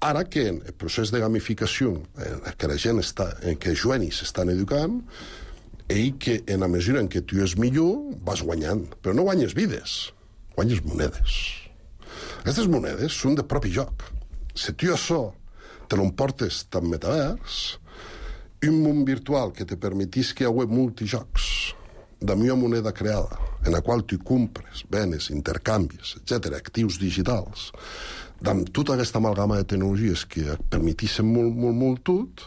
Ara que en el procés de gamificació, en què la gent està, en què els jovenis s'estan educant, i que en la mesura en què tu és millor, vas guanyant. Però no guanyes vides, guanyes monedes. Aquestes monedes són de propi joc. Si tu això te l'emportes tan metavers, un món virtual que te permetís que hi hagi multijocs de una moneda creada en la qual tu compres, venes, intercanvis, etcètera, actius digitals, amb tota aquesta amalgama de tecnologies que et permetissin molt, molt, molt tot,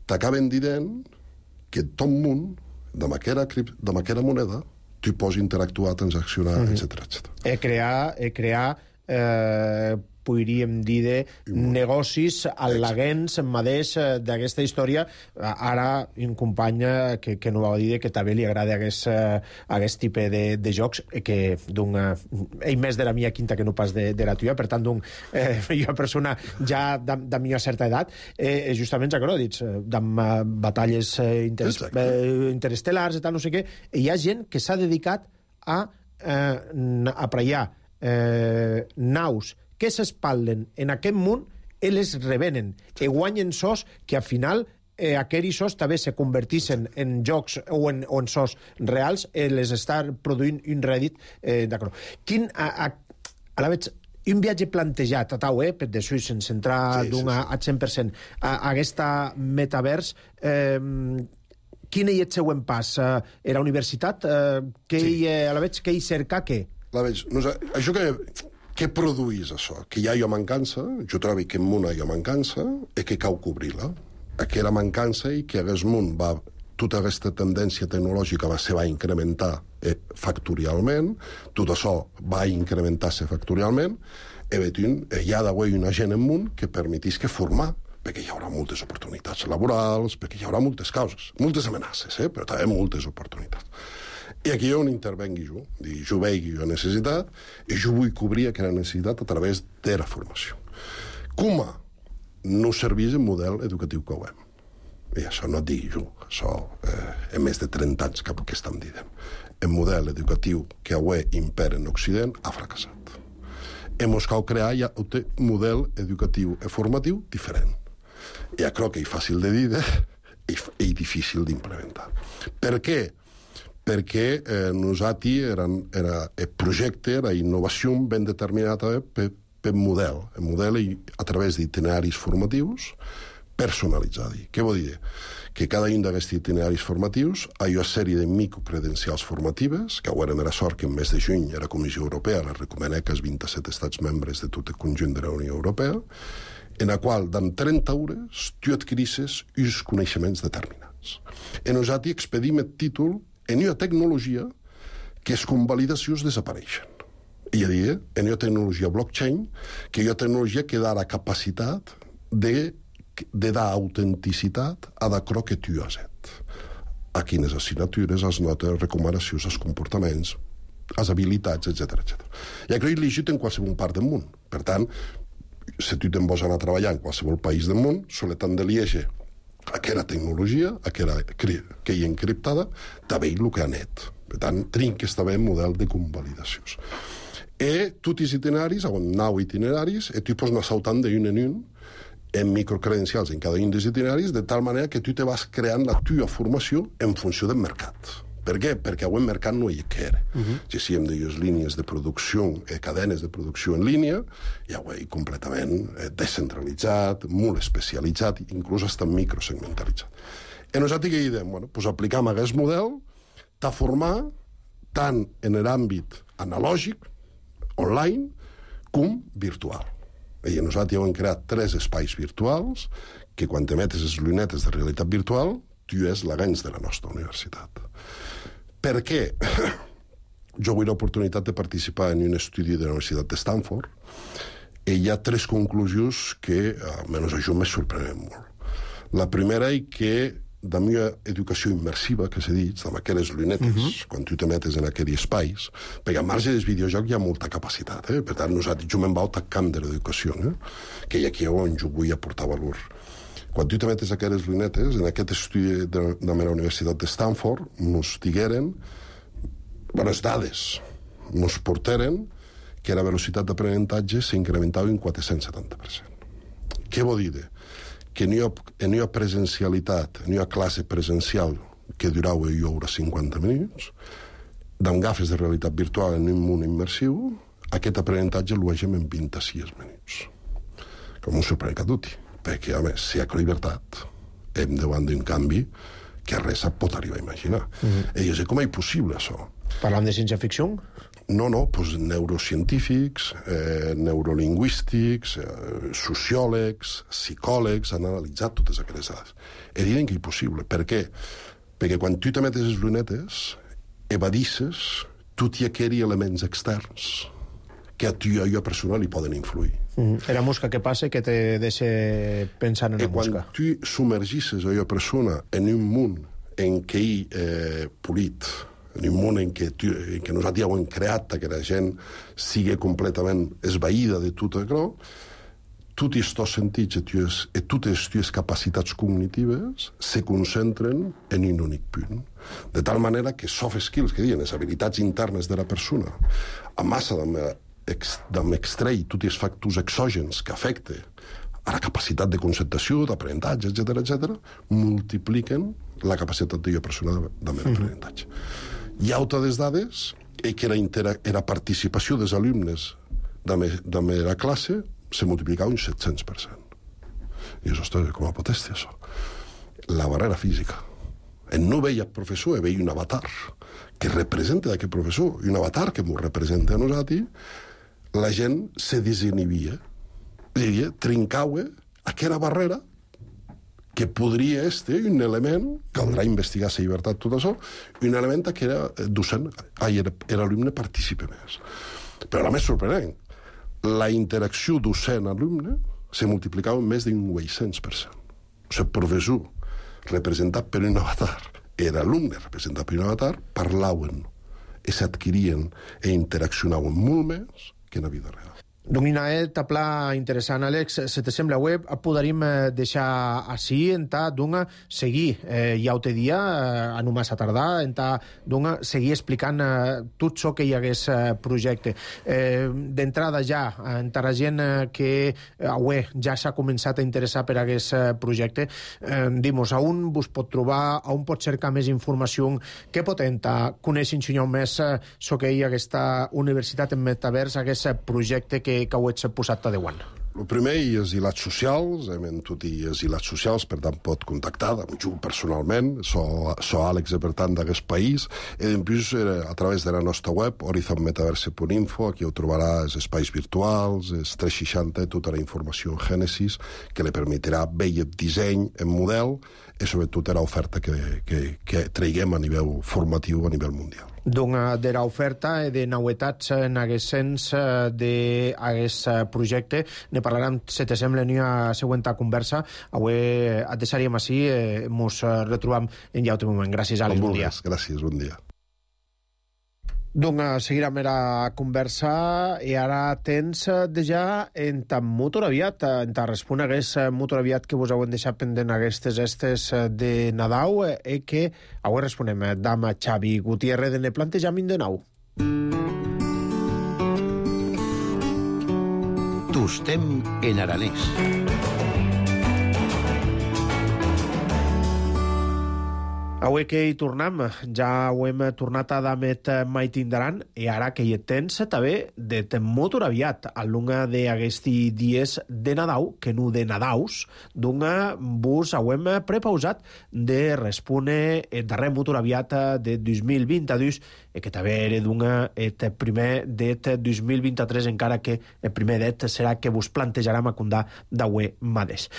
t'acaben dient que tot món, amb aquella moneda, tu pots interactuar, transaccionar, mm-hmm. etcètera, etcètera. E crear, e crear eh, podríem dir, de negocis al·laguents mateix d'aquesta història. Ara, un company que, que no va dir que també li agrada aquest, aquest tipus de, de jocs, que d'un... ell més de la mia quinta que no pas de, de la tuya, per tant, d'un eh, jo persona ja de, de mi certa edat, eh, justament ja que no, dits, d'amb batalles eh, interes, eh, interestel·lars i tal, no sé què, hi ha gent que s'ha dedicat a eh, apraiar eh, naus que s'espalden en aquest món i les revenen, i guanyen sos que al final eh, aquells sos també se convertissin en jocs o en, o en sos reals, eh, les està produint un rèdit. Eh, d'acord. Quin, a, a, a la veig, un viatge plantejat a tau, eh, per d'això, sense entrar sí, d'un sí, sí. a cent per cent a, a aquesta metavers, eh, quin és el següent pas? Uh, era universitat? Uh, que sí. hi, a la veig, que hi cerca què? La veig, no sé, això que, que produís això? Que hi ha jo mancança, jo trobo que en món hi ha mancança, i que cal cobrir-la. Aquella mancança i que aquest món va... Tota aquesta tendència tecnològica va se va incrementar eh, factorialment, tot això va incrementar-se factorialment, i veient, hi ha d'avui una gent en món que permetís que formar, perquè hi haurà moltes oportunitats laborals, perquè hi haurà moltes causes, moltes amenaces, eh? Però també moltes oportunitats. I aquí on intervengui jo, jo veig jo necessitat, i jo vull cobrir aquella necessitat a través de la formació. Com no serveix el model educatiu que ho hem? I això no et digui jo, això eh, en més de trenta anys que, que estem dient. El model educatiu que avui impera en Occident ha fracassat. Hem cal crear ja un model educatiu i formatiu diferent. Ja crec que és fàcil de dir i, i difícil d'implementar. Per què? Perquè eh, nosaltres era, era el projecte, la innovació ben determinada per, per model. El model a través d'itineraris formatius personalitzats. Què vol dir? Que cada un d'aquests itineraris formatius hi ha una sèrie de microcredencials formatives, que ara era sort que en mes de juny la Comissió Europea la recomana que els vint-i-set estats membres de tot el conjunt de la Unió Europea, en la qual, en trenta hores, tu adquirisses uns coneixements determinats. I nosaltres expedim el títol en una tecnologia que les convalidacions desapareixen. I a dir, en una tecnologia blockchain, que és una tecnologia que dà la capacitat de, de dar autenticitat a d'acord que tu has fet. A quines assignatures, les notes, les recomanacions, els comportaments, les habilitats, etcètera etcètera. I això és legit en qualsevol part del món. Per tant, si tu te'n vols anar a treballar en qualsevol país del món, solet han de liege aquella tecnologia, aquella que hi ha encriptada, també el que ha net. Per tant, trinques també el model de convalidacions. I tots els itineraris, on nou itineraris, i tu pots anar saltant d'un en un en microcredencials en cada un dels itineraris, de tal manera que tu te vas creant la teva formació en funció del mercat. Per què? Perquè avui el mercat no hi era. Uh-huh. Si sí, hem de les línies de producció, eh, cadenes de producció en línia, i avui completament eh, descentralitzat, molt especialitzat, inclús està microsegmentalitzat. I nosaltres què diem? Bueno, doncs aplicam aquest model de formar tant en l'àmbit analògic, online, com virtual. I nosaltres hem creat tres espais virtuals que quan te metes les llunetes de realitat virtual, tu és l'agents de la nostra universitat. Per què? Jo vull l'oportunitat de participar en un estudi de la Universitat de Stanford i hi ha tres conclusions que, almenys a jo, me sorprenen molt. La primera és que de la meva educació immersiva, que s'ha dit, amb aquelles llunetes, uh-huh. quan tu te metes en aquells espais, perquè al marge dels videojocs hi ha molta capacitat, eh? Per tant, nosaltres, jo me'n vaig al camp de l'educació, eh? Que hi ha aquí on jo vull aportar valor. Quan tu te metes aquelles lunetes, en aquest estudi de, de la Universitat de Stanford, ens digueren bones dades, ens porteren que la velocitat d'aprenentatge s'incrementava un quatre-cents setanta per cent. Què vol dir? Que en una presencialitat, en una classe presencial que durava jo hora cinquanta minuts, amb gafes de realitat virtual en un món immersiu, aquest aprenentatge el vegem en vint-i-sis minuts. Com un sorprèn que tutti. Perquè, a més, si hi ha llibertat, hem davant d'un canvi que res pot arribar a imaginar. Mm-hmm. I jo sé com és possible, això. Parlant de ciència-ficció? No, no, doncs neurocientífics, eh, neurolingüístics, eh, sociòlegs, psicòlegs, han analitzat totes aquestes dades. I diuen que és possible. Per què? Perquè quan tu te metes les lunetes, evadisses tots aquells elements externs que a tu i a jo personal li poden influir. Mm. Era mosca que passa que te deixa pensant en la mosca. I quan tu submergisses a jo persona en un món en què hi eh, polit, en un món en què, tu, en què nosaltres ja ho hem creat, que la gent sigui completament esvaïda de tot això, tots els sentits i totes les capacitats cognitives se concentren en un únic punt. De tal manera que soft skills, que diuen, les habilitats internes de la persona, a massa d'extreure tots els factors exògens que afecten a la capacitat de concentració, d'aprenentatge, etcètera, etcètera, multipliquen la capacitat de jo persona d'aprenentatge. Hi ha altres dades que la, intera- la participació dels alumnes de la meva classe se multiplicava un set-cents per cent. I això, ostres, com pot ser això? La barrera física. En no veia professor, veia un avatar que representa aquest professor, i un avatar que m'ho representa a nosaltres, la gent se desinhibia. És a dir, trincava aquella barrera que podria ser un element, caldrà investigar la llibertat, tot això, un element que era docent, ai, era, era alumne participa més. Però la més sorprenent, la interacció docent-alumne se multiplicava en més d'un vuit-cents per cent. O sigui, professor representat per un avatar i l'alumne representat per un avatar parlaven i s'adquirien i interaccionaven molt més que en la vida real. Donc, Inae, tapla interessant, Àlex. Se te sembla web, podaríem deixar així, entà, dunga, seguir eh, ja te dia, eh, a no massa tardar, entà, dunga, seguir explicant eh, tot això que hi hagués eh, projecte. Eh, D'entrada ja, entà la gent eh, que avui ja s'ha començat a interessar per aquest eh, projecte, eh, dimos, a on vos pot trobar, a on pot cercar més informació, què pot entà, conèixer un més eh, so que hi ha aquesta universitat en metavers, aquest projecte que que ho ets posat a Déu-an. El primer és ilats socials, hem tot i els ilats socials, per tant pot contactar amb jo personalment, so, so Àlex, per tant, d'aquest país, i després a través de la nostra web, horizon metaverse punt info, aquí ho trobarà els espais virtuals, els tres seixanta, tota la informació en Gènesis, que li permetrà veure el disseny en model i sobretot l'oferta que, que, que traiguem a nivell formatiu a nivell mundial. Donc, de l'oferta i de novetats en aquest sens d'aquest projecte ne parlarem, si te sembla, en una següent conversa. Avui et deixaríem així, ens retrobam en ja un moment. Gràcies, Àlex, bon dia. Gràcies, bon dia. Donc, seguirem la conversa i ara tens ja en tan molt aviat, en tan respon a aquest molt aviat que vos heu deixat pendent aquestes estes de Nadal i que avui responem d'ama Xavi Gutiérrez de ne plantejament de nou. Tostem en aranès. Avui que hi tornem, ja ho hem tornat a damet mai tindran, i ara que hi tens també de molt aviat, a l'unga d'aquests dies de Nadal, que no de Nadaus, d'unga vos ho hem prepausat de respondre el darrer molt aviat de dos mil vint-dos, i que també era d'unga el primer det dos mil vint-tres, encara que el primer det serà que vos plantejarem a condar d'avui mateix.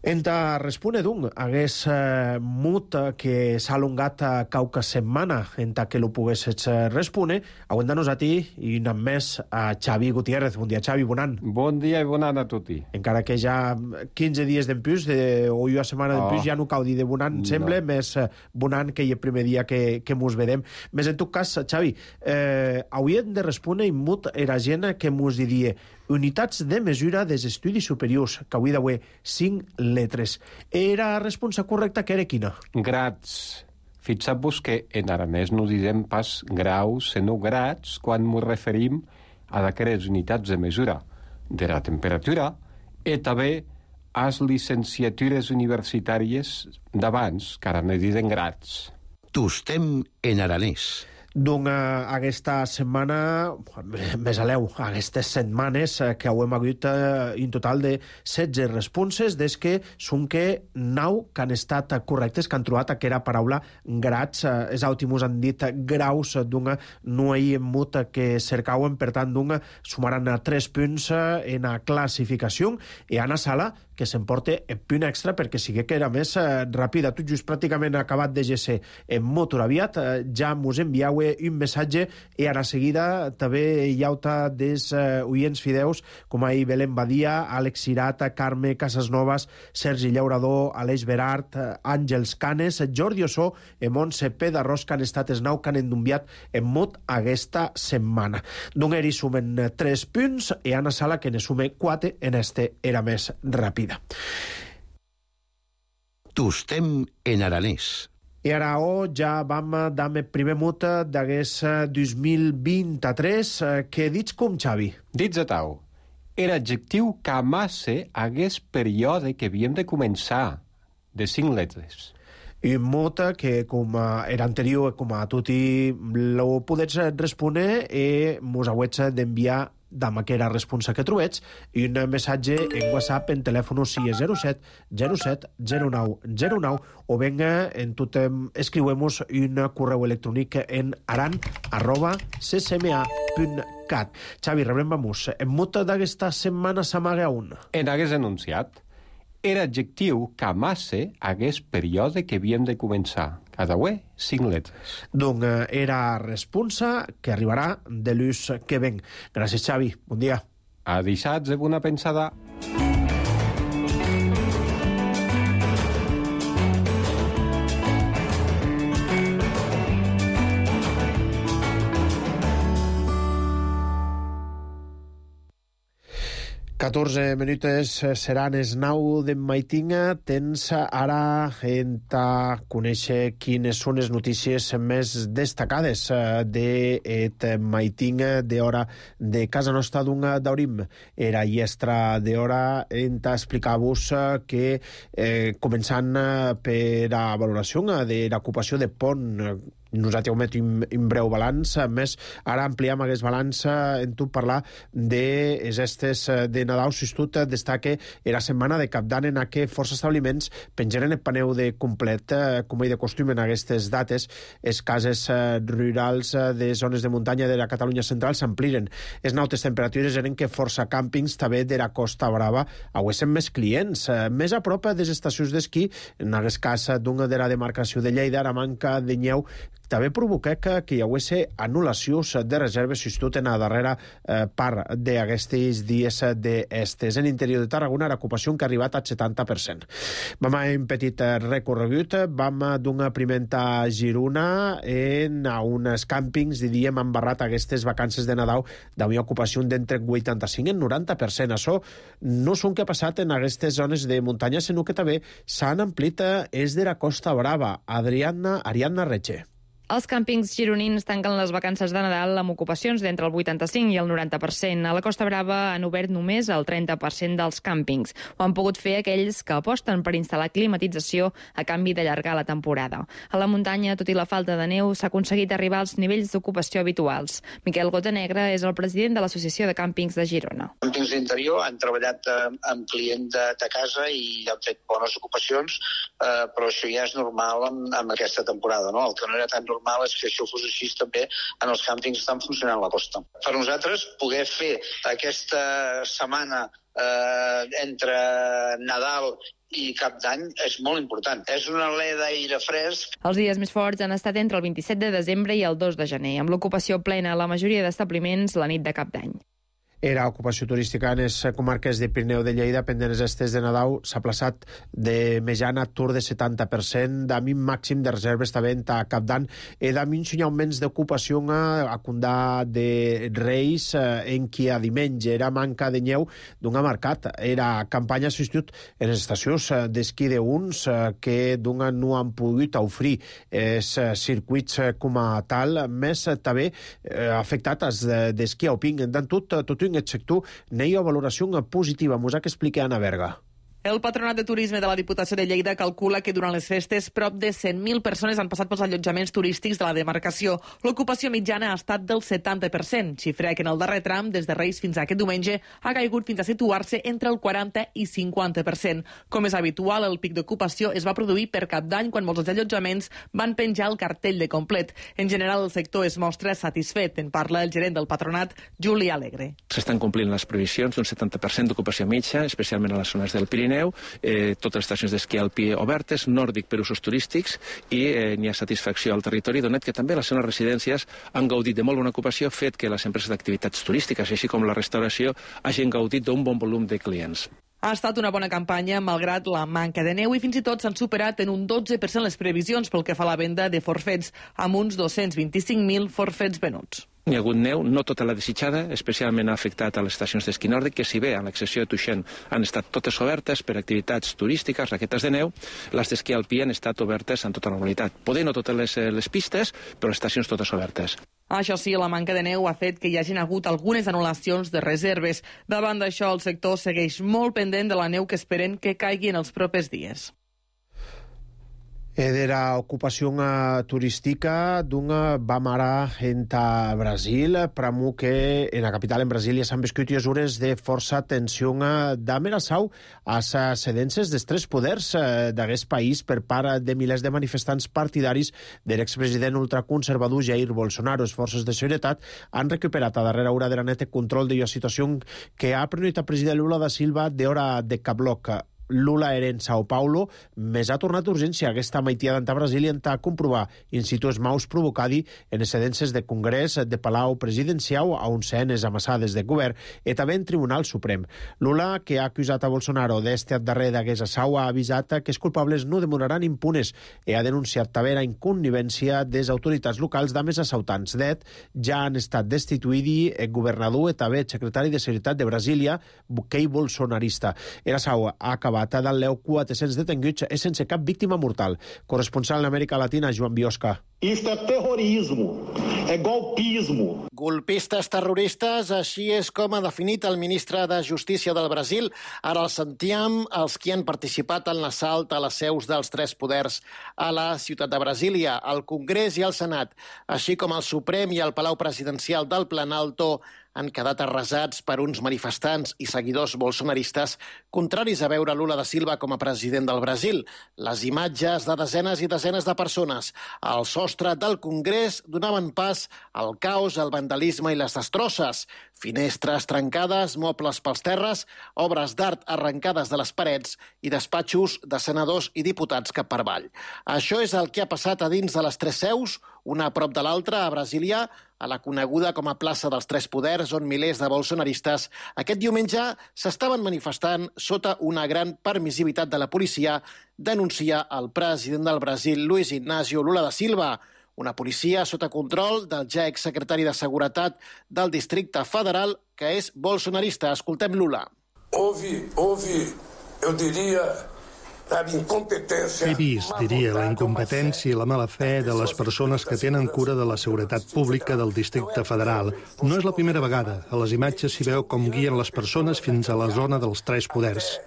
Enta respone d'un hagués eh, mut que s'ha alongat a cauca setmana enta que lo poguessis respone, aguantant-nos a ti i un més a Xavi Gutiérrez. Bon dia, Xavi, bon any. Bon dia i bon any a tutti. Encara que ja quinze dies d'empús, de, o una setmana d'empús, oh. ja no cau dir de bon any, no. Sembla, més bon any que hi el primer dia que, que mos vedem. Més en tot cas, Xavi, eh, hauríem de respondre i mut era gent que mos diria unitats de mesura dels estudis superiors, que avui d'avui cinc letres. Era la resposta correcta que era quina? Grats. Fixeu-vos que en aranès no diem pas graus, sinó grats, quan ens referim a d'aquelles unitats de mesura de la temperatura i també a les llicenciatures universitàries d'abans, que ara ne diuen grats. Tostem en aranès. Donc, uh, aquesta setmana, més aleu, aquestes setmanes uh, que hem hagut uh, en total de setze responses, des que són que nou que han estat correctes, que han trobat aquella paraula grats. Uh, els últims han dit graus, doncs no hi hem mut que cercauen, per tant, doncs sumaran tres punts uh, en la classificació, i Anna Sala, que s'emporta el punt extra perquè sigui que era més uh, ràpida. Tot just pràcticament acabat de G C en motor aviat, uh, ja mos enviau avui un missatge i ara seguida també hi ha des uh, oients fideus com ahir Belén Badia, Àlex Cirata, Carme Casasnovas, Sergi Llaurador, Aleix Berart, Àngels Canes, Jordi Ossó i Montse Pedarrós, que han estat els nou que han endumbiat en mut aquesta setmana. D'Ungeri sumen tres punts i Anna Sala que ne sume quatre en este era més ràpida. Tostem en aranès. I ara oh, ja vam dar el primer mut d'aquest dos mil vint-i-tres. Què dits com, Xavi? Dits a tau. Era adjectiu que amasse hagués període que havíem de començar, de cinc lletres. I un mot que, com era anterior, com a tutti lo podets respondre i mos hauets d'enviar dama que era responsa que trobets i un missatge en WhatsApp en telèfon si és zero set zero set zero nou zero nou o venga en tot escriuemos un correu electrònic en aran arroba c c m a punt cat. Xavi, rebrem vamos. En mot d'aquesta setmana s'amaga un. En hagués enunciat. Era adjectiu que amasse hagués període que havíem de començar. Cada uè, cinc lletres. Donc era responsa que arribarà de l'ús que ven. Gràcies, Xavi. Bon dia. A dissats de bona pensada. catorze minutes seran els nou de maitinga. Tens ara en ta conèixer quines són les notícies més destacades d'aquest maitinga d'hora de casa nostra d'un daurim. Era iestra d'hora en ta explicar-vos que eh, començant per la valoració de l'ocupació de pont, nosaltres heu met un, un breu balanç, més ara ampliem aquest balanç en tu parlar de les estes de Nadal. Si tu destaque la setmana de Cap d'Any en què força establiments pengeren el paneu de complet, com hi de costum en aquestes dates, les cases rurals de zones de muntanya de la Catalunya central s'ampliren. Les nautes temperatures eren que força càmpings també de la Costa Brava haguessin més clients, més a prop de les estacions d'esquí, en aquest cas d'una de la demarcació de Lleida, la manca de nyeu també provoca que, que hi hagués anul·lacions de reserves substitut en la darrera eh, part d'aquests dies d'estes. En l'interior de Tarragona l'ocupació que ha arribat al setanta per cent. Vam a un petit recorregut, vam d'una primenta Girona en a uns càmpings, diríem, han barrat aquestes vacances de Nadal d'una ocupació d'entre vuitanta-cinc i noranta per cent. Això no són que ha passat en aquestes zones de muntanya, sinó que també s'han amplit és de la Costa Brava. Adriana, Ariadna Reche. Els càmpings gironins tanquen les vacances de Nadal amb ocupacions d'entre el vuitanta-cinc i el noranta per cent. A la Costa Brava han obert només el trenta per cent dels càmpings. Ho han pogut fer aquells que aposten per instal·lar climatització a canvi d'allargar la temporada. A la muntanya, tot i la falta de neu, s'ha aconseguit arribar als nivells d'ocupació habituals. Miquel Gotanegra és el president de l'Associació de Càmpings de Girona. Càmpings d'interior han treballat eh, amb client de, de casa i han fet bones ocupacions, eh, però això ja és normal amb, amb aquesta temporada, no? El que no era tan normal és que això fos així també en els càmpings que estan funcionant a la costa. Per nosaltres, poder fer aquesta setmana eh, entre Nadal i Cap d'Any és molt important. És una alè d'aire fresc. Els dies més forts han estat entre el vint-i-set de desembre i el dos de gener, amb l'ocupació plena a la majoria d'establiments la nit de Cap d'Any. Era ocupació turística en les comarques de Pirineu de Lleida, pendents estes de Nadal, s'ha plaçat de mitjana tour de setanta per cent, amb un màxim de reserves també a Cap d'Any, i amb un augment d'ocupació a Condà de Reis, en qui a diumenge era manca de nyeu d'una mercat. Era campanya substitut en les estacions d'esquí d'uns que d'una no han pogut oferir els circuits com a tal, més també afectat els d'esquí alpí. En tot, tot un aquest sector n'hi ha valoració positiva. Mos ha que explicar Anna Berga. El Patronat de Turisme de la Diputació de Lleida calcula que durant les festes prop de cent mil persones han passat pels allotjaments turístics de la demarcació. L'ocupació mitjana ha estat del setanta per cent, xifra que en el darrer tram, des de Reis fins a aquest diumenge, ha caigut fins a situar-se entre el quaranta i cinquanta per cent. Com és habitual, el pic d'ocupació es va produir per Cap d'Any, quan molts dels allotjaments van penjar el cartell de complet. En general, el sector es mostra satisfet. En parla el gerent del Patronat, Juli Alegre. S'estan complint les previsions d'un setanta per cent d'ocupació mitja, especialment a les zones del Pirineu, neu, eh, totes les estacions d'esquí alpí obertes, nòrdic per usos turístics, i eh, n'hi ha satisfacció al territori, donat que també les seves residències han gaudit de molt bona ocupació, fet que les empreses d'activitats turístiques, així com la restauració, hagin gaudit d'un bon volum de clients. Ha estat una bona campanya, malgrat la manca de neu, i fins i tot s'han superat en un dotze per cent les previsions pel que fa a la venda de forfets, amb uns dos-cents vint-i-cinc mil forfets venuts. Hi ha hagut neu, no tota la desitjada, especialment ha afectat a les estacions d'esquí nòrdic, que si bé, a l'excepció de Tuixén, han estat totes obertes per activitats turístiques, raquetes de neu, les d'esquí alpí han estat obertes en tota normalitat. Poder no totes les, les pistes, però les estacions totes obertes. Això sí, la manca de neu ha fet que hi hagin hagut algunes anul·lacions de reserves. Davant d'això, el sector segueix molt pendent de la neu que esperen que caigui en els propers dies. Era ocupació turística d'una bamara enta Brasil, pramu que en la capital en Brasília s'han viscut hores de força tensió d'amenaçau a les cedències dels tres poders d'aquest país per part de milers de manifestants partidaris de l'expresident ultraconservador Jair Bolsonaro. Les forces de seguretat han recuperat a darrera hora de la neta control de la situació que ha prenut el president Lula da Silva d'hora de Cabloc. Lula era en Sao Paulo, més ha tornat d'urgència aquesta maitia d'anta Brasília a comprovar in situ els maus provocadi en les cedències de Congrés, de Palau Presidencial, a un cenes amassades de govern, i també en Tribunal Suprem. Lula, que ha acusat a Bolsonaro d'este darrer d'aquesta sau, ha avisat que els culpables no demoraran impunes i ha denunciat també la inconnivència de les autoritats locals d'amés assaltants. D'et, ja han estat destituïdi el governador i també el secretari de Seguretat de Brasília, Kei Bolsonarista. Era sau ha acabat del leu quatre-cents detenguts i sense cap víctima mortal. Corresponsal en Amèrica Latina, Joan Biosca. Isto é terrorismo, é golpismo. Golpistes terroristes, així és com ha definit el ministre de Justícia del Brasil. Ara el sentíem, els que han participat en l'assalt a les seus dels tres poders a la ciutat de Brasília, al Congrés i al Senat, així com el Suprem i el Palau Presidencial del Planalto, han quedat arrasats per uns manifestants i seguidors bolsonaristes contraris a veure Lula da Silva com a president del Brasil. Les imatges de desenes i desenes de persones al sostre del Congrés donaven pas al caos, al vandalisme i les destrosses. Finestres trencades, mobles pels terres, obres d'art arrencades de les parets i despatxos de senadors i diputats cap per avall. Això és el que ha passat a dins de les tres seus, una a prop de l'altra, a Brasília, a la coneguda com a plaça dels Tres Poders, on milers de bolsonaristes aquest diumenge s'estaven manifestant sota una gran permissivitat de la policia, denuncia el president del Brasil, Luis Inácio Lula da Silva. Una policia sota control del ja exsecretari de Seguretat del Districte Federal, que és bolsonarista. Escoltem Lula. Houve, houve, eu diria, He vist, diria, la incompetència i la mala fe de les persones que tenen cura de la seguretat pública del Districte Federal. No és la primera vegada. A les imatges s'hi veu com guien les persones fins a la zona dels tres poders.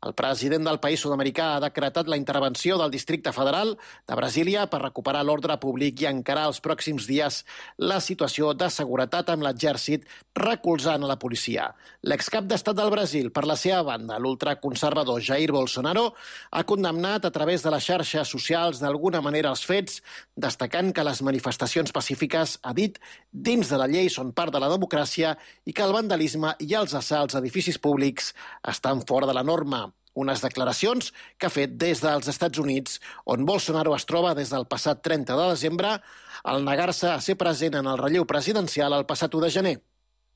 El president del país sud-americà ha decretat la intervenció del Districte Federal de Brasília per recuperar l'ordre públic i encarar els pròxims dies la situació de seguretat amb l'exèrcit recolzant a la policia. L'excap d'Estat del Brasil, per la seva banda, l'ultraconservador Jair Bolsonaro, ha condemnat a través de les xarxes socials d'alguna manera els fets, destacant que les manifestacions pacífiques, ha dit, dins de la llei són part de la democràcia i que el vandalisme i els assalts a edificis públics estan fora de la norma. Unes declaracions que ha fet des dels Estats Units, on Bolsonaro es troba des del passat trenta de desembre, al negar-se a ser present en el relleu presidencial el passat u de gener.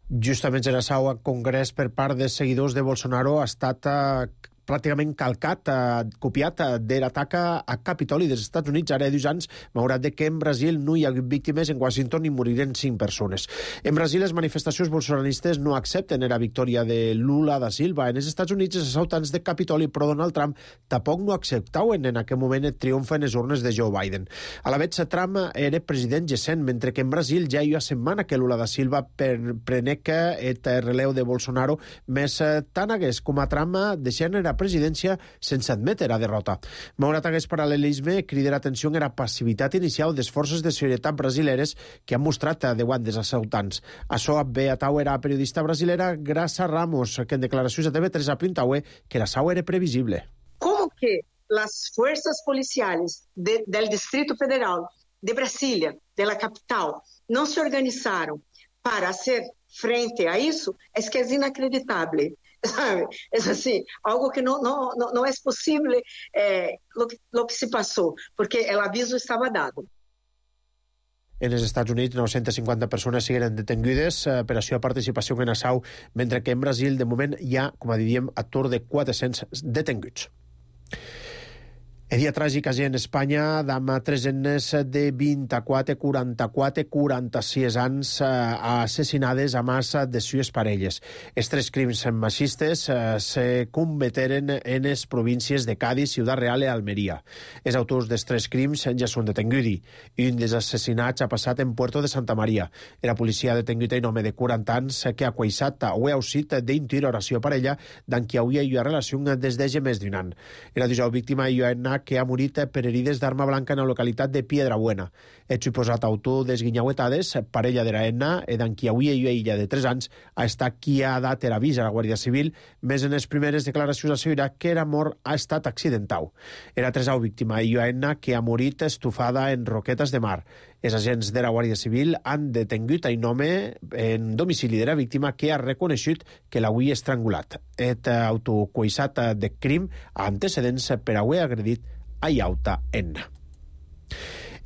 Justament en el seu congrés per part de seguidors de Bolsonaro ha estat eh, pràcticament calcat, eh, copiat eh, de l'atac a Capitoli dels Estats Units ara dos anys, malgrat que en Brasil no hi ha víctimes, en Washington hi moriren cinc persones. En Brasil les manifestacions bolsonaristes no accepten la victòria de Lula da Silva. En els Estats Units els assaltants de Capitoli pro Donald Trump tampoc no acceptaven en aquell moment el triomf en les urnes de Joe Biden. A la vegada Trump era president recent, mentre que en Brasil ja hi ha setmana que Lula da Silva prenec el relleu de Bolsonaro, més tant hagués com a Trump deixant era presidència sense admetre la derrota. Malgrat aquest paral·lelisme, crida l'atenció en la passivitat inicial de les forces de seguretat brasileres que han mostrat davant dels assaltants. Això ve a tau era periodista brasilera Graça Ramos, que en declaracions a T V tres apuntaue que la sau era previsible. Como que las fuerzas policiales de, del Distrito Federal de Brasília, de la capital, no se organizaron para hacer frente a isso, es que es inacreditable. ¿sabe? Es así, algo que no, no, no, no es posible eh, lo, lo que se pasó, porque el aviso estaba dado. En els Estats Units, nou-centes cinquanta persones siguen detengudes per a la participació en assau, mentre que en Brasil, de moment, hi ha, com a diríem, a tour de quatre-cents detenguts. El dia tràgic a en Espanya, amb tres nenes de vint-i-quatre, quaranta-quatre, quaranta-sis anys assassinades a massa de sues parelles. Els tres crims machistes se cometeren en les províncies de Cádiz, Ciudad Real i Almeria. Els autors dels tres crims ja són detenguts. Un dels assassinats ha passat en Puerto de Santa Maria. La policia ha detengut un home de quaranta anys que ha queixat o ha usat d'intuir oració parella d'en qui hauria una relació des de més d'un any. La dijous víctima hi ha anat que ha morit per herides d'arma blanca en la localitat de Piedrabuena. El suposat autor des guinyauetades, parella de la Enna, i d'en qui avui una illa de tres anys, ha estat qui ha dat l'avís a la Guàrdia Civil, més en les primeres declaracions assegurar que era mort ha estat accidental. Era tresau víctima i Enna que ha morit estufada en roquetes de mar. Els agents de la Guàrdia Civil han detengut a un home en domicili de la víctima que ha reconegut que l'havia estrangulat. El autocoissat de crim ha antecedents per haver agredit a Iauta Enna.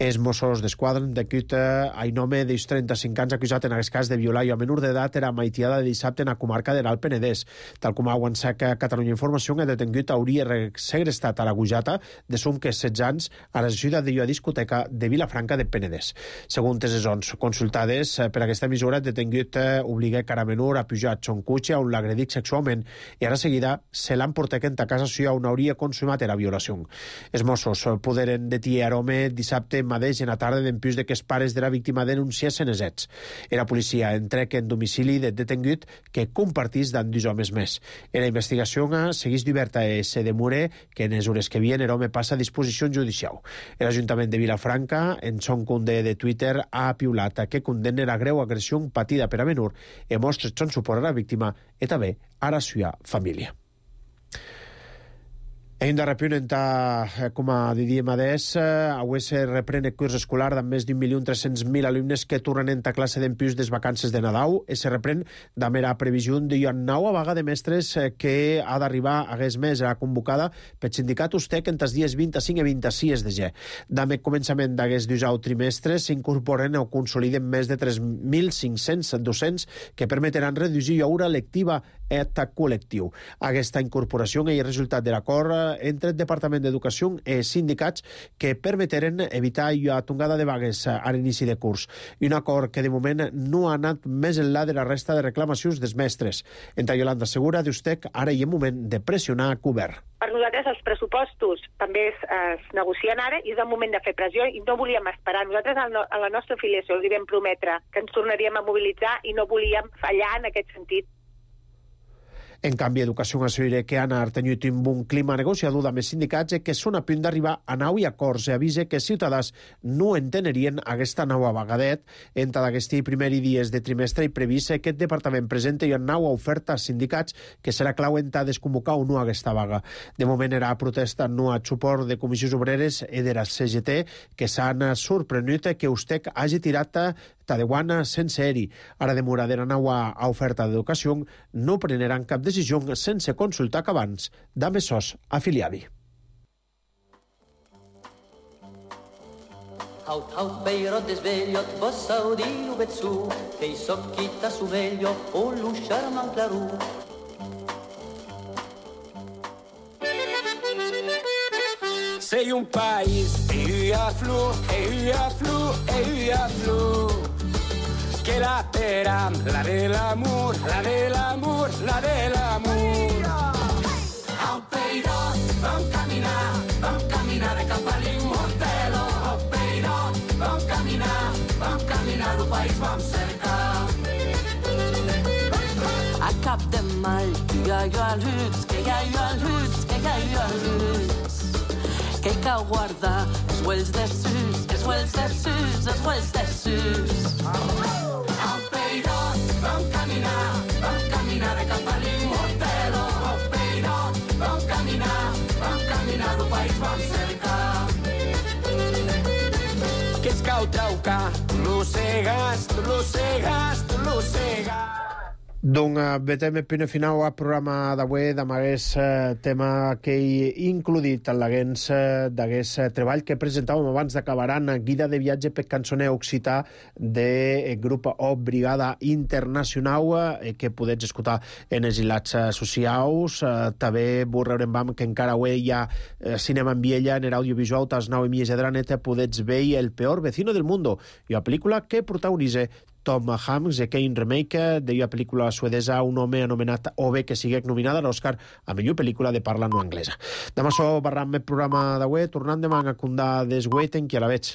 Els Mossos d'Esquadra han detingut a un home dels trenta-cinc anys acusat en aquest cas de violar a menor d'edat era maitiada de dissabte en la comarca de l'Alt Penedès. Tal com ha avançat Catalunya Informació, el detingut hauria segrestat a la Gujata de som que setze anys a la ciutat de la discoteca de Vilafranca de Penedès. Segons les zones consultades per aquesta emissora, el detingut obliga cara menor a pujar a son cotxe on l'agredit sexualment i ara seguida se l'han portat a casa seva on hauria consumat la violació. Els Mossos poderen detenir l'home dissabte mateix en la tarda d'empús de que els pares de la víctima denunciessin els fets. La policia entrec en domicili del detingut que compartís d'en dos homes més. La investigació segueix oberta i se demora que en les hores que vienen l'home passa a disposició judicial. L'Ajuntament de Vilafranca, en son conde de Twitter, ha apiulat que condemna la greu agressió patida per a menor i mostra son suport a la víctima i també a la seva família. Hem de repunt, com a diríem adés, avui se reprèn el curs escolar d'en més d'un milió tres-cents mil alumnes que tornen a classe d'empús des vacances de Nadal i se reprèn d'amb la previsió d'una nova vaga de mestres que ha d'arribar aquest mes a convocada pel sindicat USTEC entre els dies vint-i-cinc i vint-i-sis de gener. D'amb el començament d'aquest dijous trimestre s'incorporen o consoliden més de tres mil cinc-cents docents que permetran reduir l'hora lectiva et col·lectiu. Aquesta incorporació és el resultat de l'acord entre el Departament d'Educació i sindicats que permeteren evitar la tongada de vagues a l'inici de curs. Un acord que de moment no ha anat més enllà de la resta de reclamacions dels mestres. Entre Yolanda Segura d'USTEC, ara hi ha moment de pressionar a govern. Per nosaltres els pressupostos també es, es negocien ara i és el moment de fer pressió i no volíem esperar. Nosaltres a la nostra afiliació els vam prometre que ens tornaríem a mobilitzar i no volíem fallar en aquest sentit. En canvi, Educació assegura que han tingut un bon clima negociador amb els sindicats i que són a punt d'arribar a nou i acords i avisa que els ciutadans no entenerien aquesta nova vagadet. Entre aquests primers dies de trimestre i previst que el departament presenti una nova oferta als sindicats que serà clau en desconvocar o no aquesta vaga. De moment era protesta no a suport de comissions obreres i de la C G T que s'han sorprenut que USTEC hagi tirat Tadewana sense eri. Ara demora de la nova oferta d'educació no preneran cap decisió sense consultar que abans d'amb sos afiliadi. Haut, haut, beirot desvegliot, vos saudino vezzu, che i socchita su veglio, o l'usciar man clarù. Sei un país, e io flu, e io flu, e io flu. Que la teram, la de l'amor, la de l'amor, la de l'amor. Au peirot, vam caminar, vam caminar de cap a l'Immortelo. Au peirot, vam caminar, vam caminar del país, vam cercar. A cap de mal, que hi ha jo al huts, que hi ha jo al huts, que hi ha jo al huts. Que cal guardar els huells de sus, els huells de sus, els huells de sus. Au peirot, vam caminar, vam caminar de cap a l'Immortelo. Au peirot, vam caminar, vam caminar del país, vam cercar. Que es cau traucar, tu l'ossegues, tu l'ossegues, tu l'ossegues. Doncs vetem el primer final al programa d'avui d'amagués eh, tema que he includit en l'aguens eh, d'agués eh, treball que presentàvem abans d'acabar en guida de viatge per cançoner occità del grup O Brigada Internacional eh, que podets escoltar en els hilats eh, socials. Eh, també vos reurem vam que encara avui hi ha eh, cinema en Viella en l'audiovisual tas nou i mitja de la neta podets veure El peor vecino del mundo i la pel·lícula que protagonitza Tom Hanks, de Kane Remake, de la pel·lícula suedesa Un home anomenat Ove, que sigue nominada a l'Oscar a millor pel·lícula de parla no anglesa. Demà so barram el programa d'avui, tornant demà a condar des Waiting, que a la veig.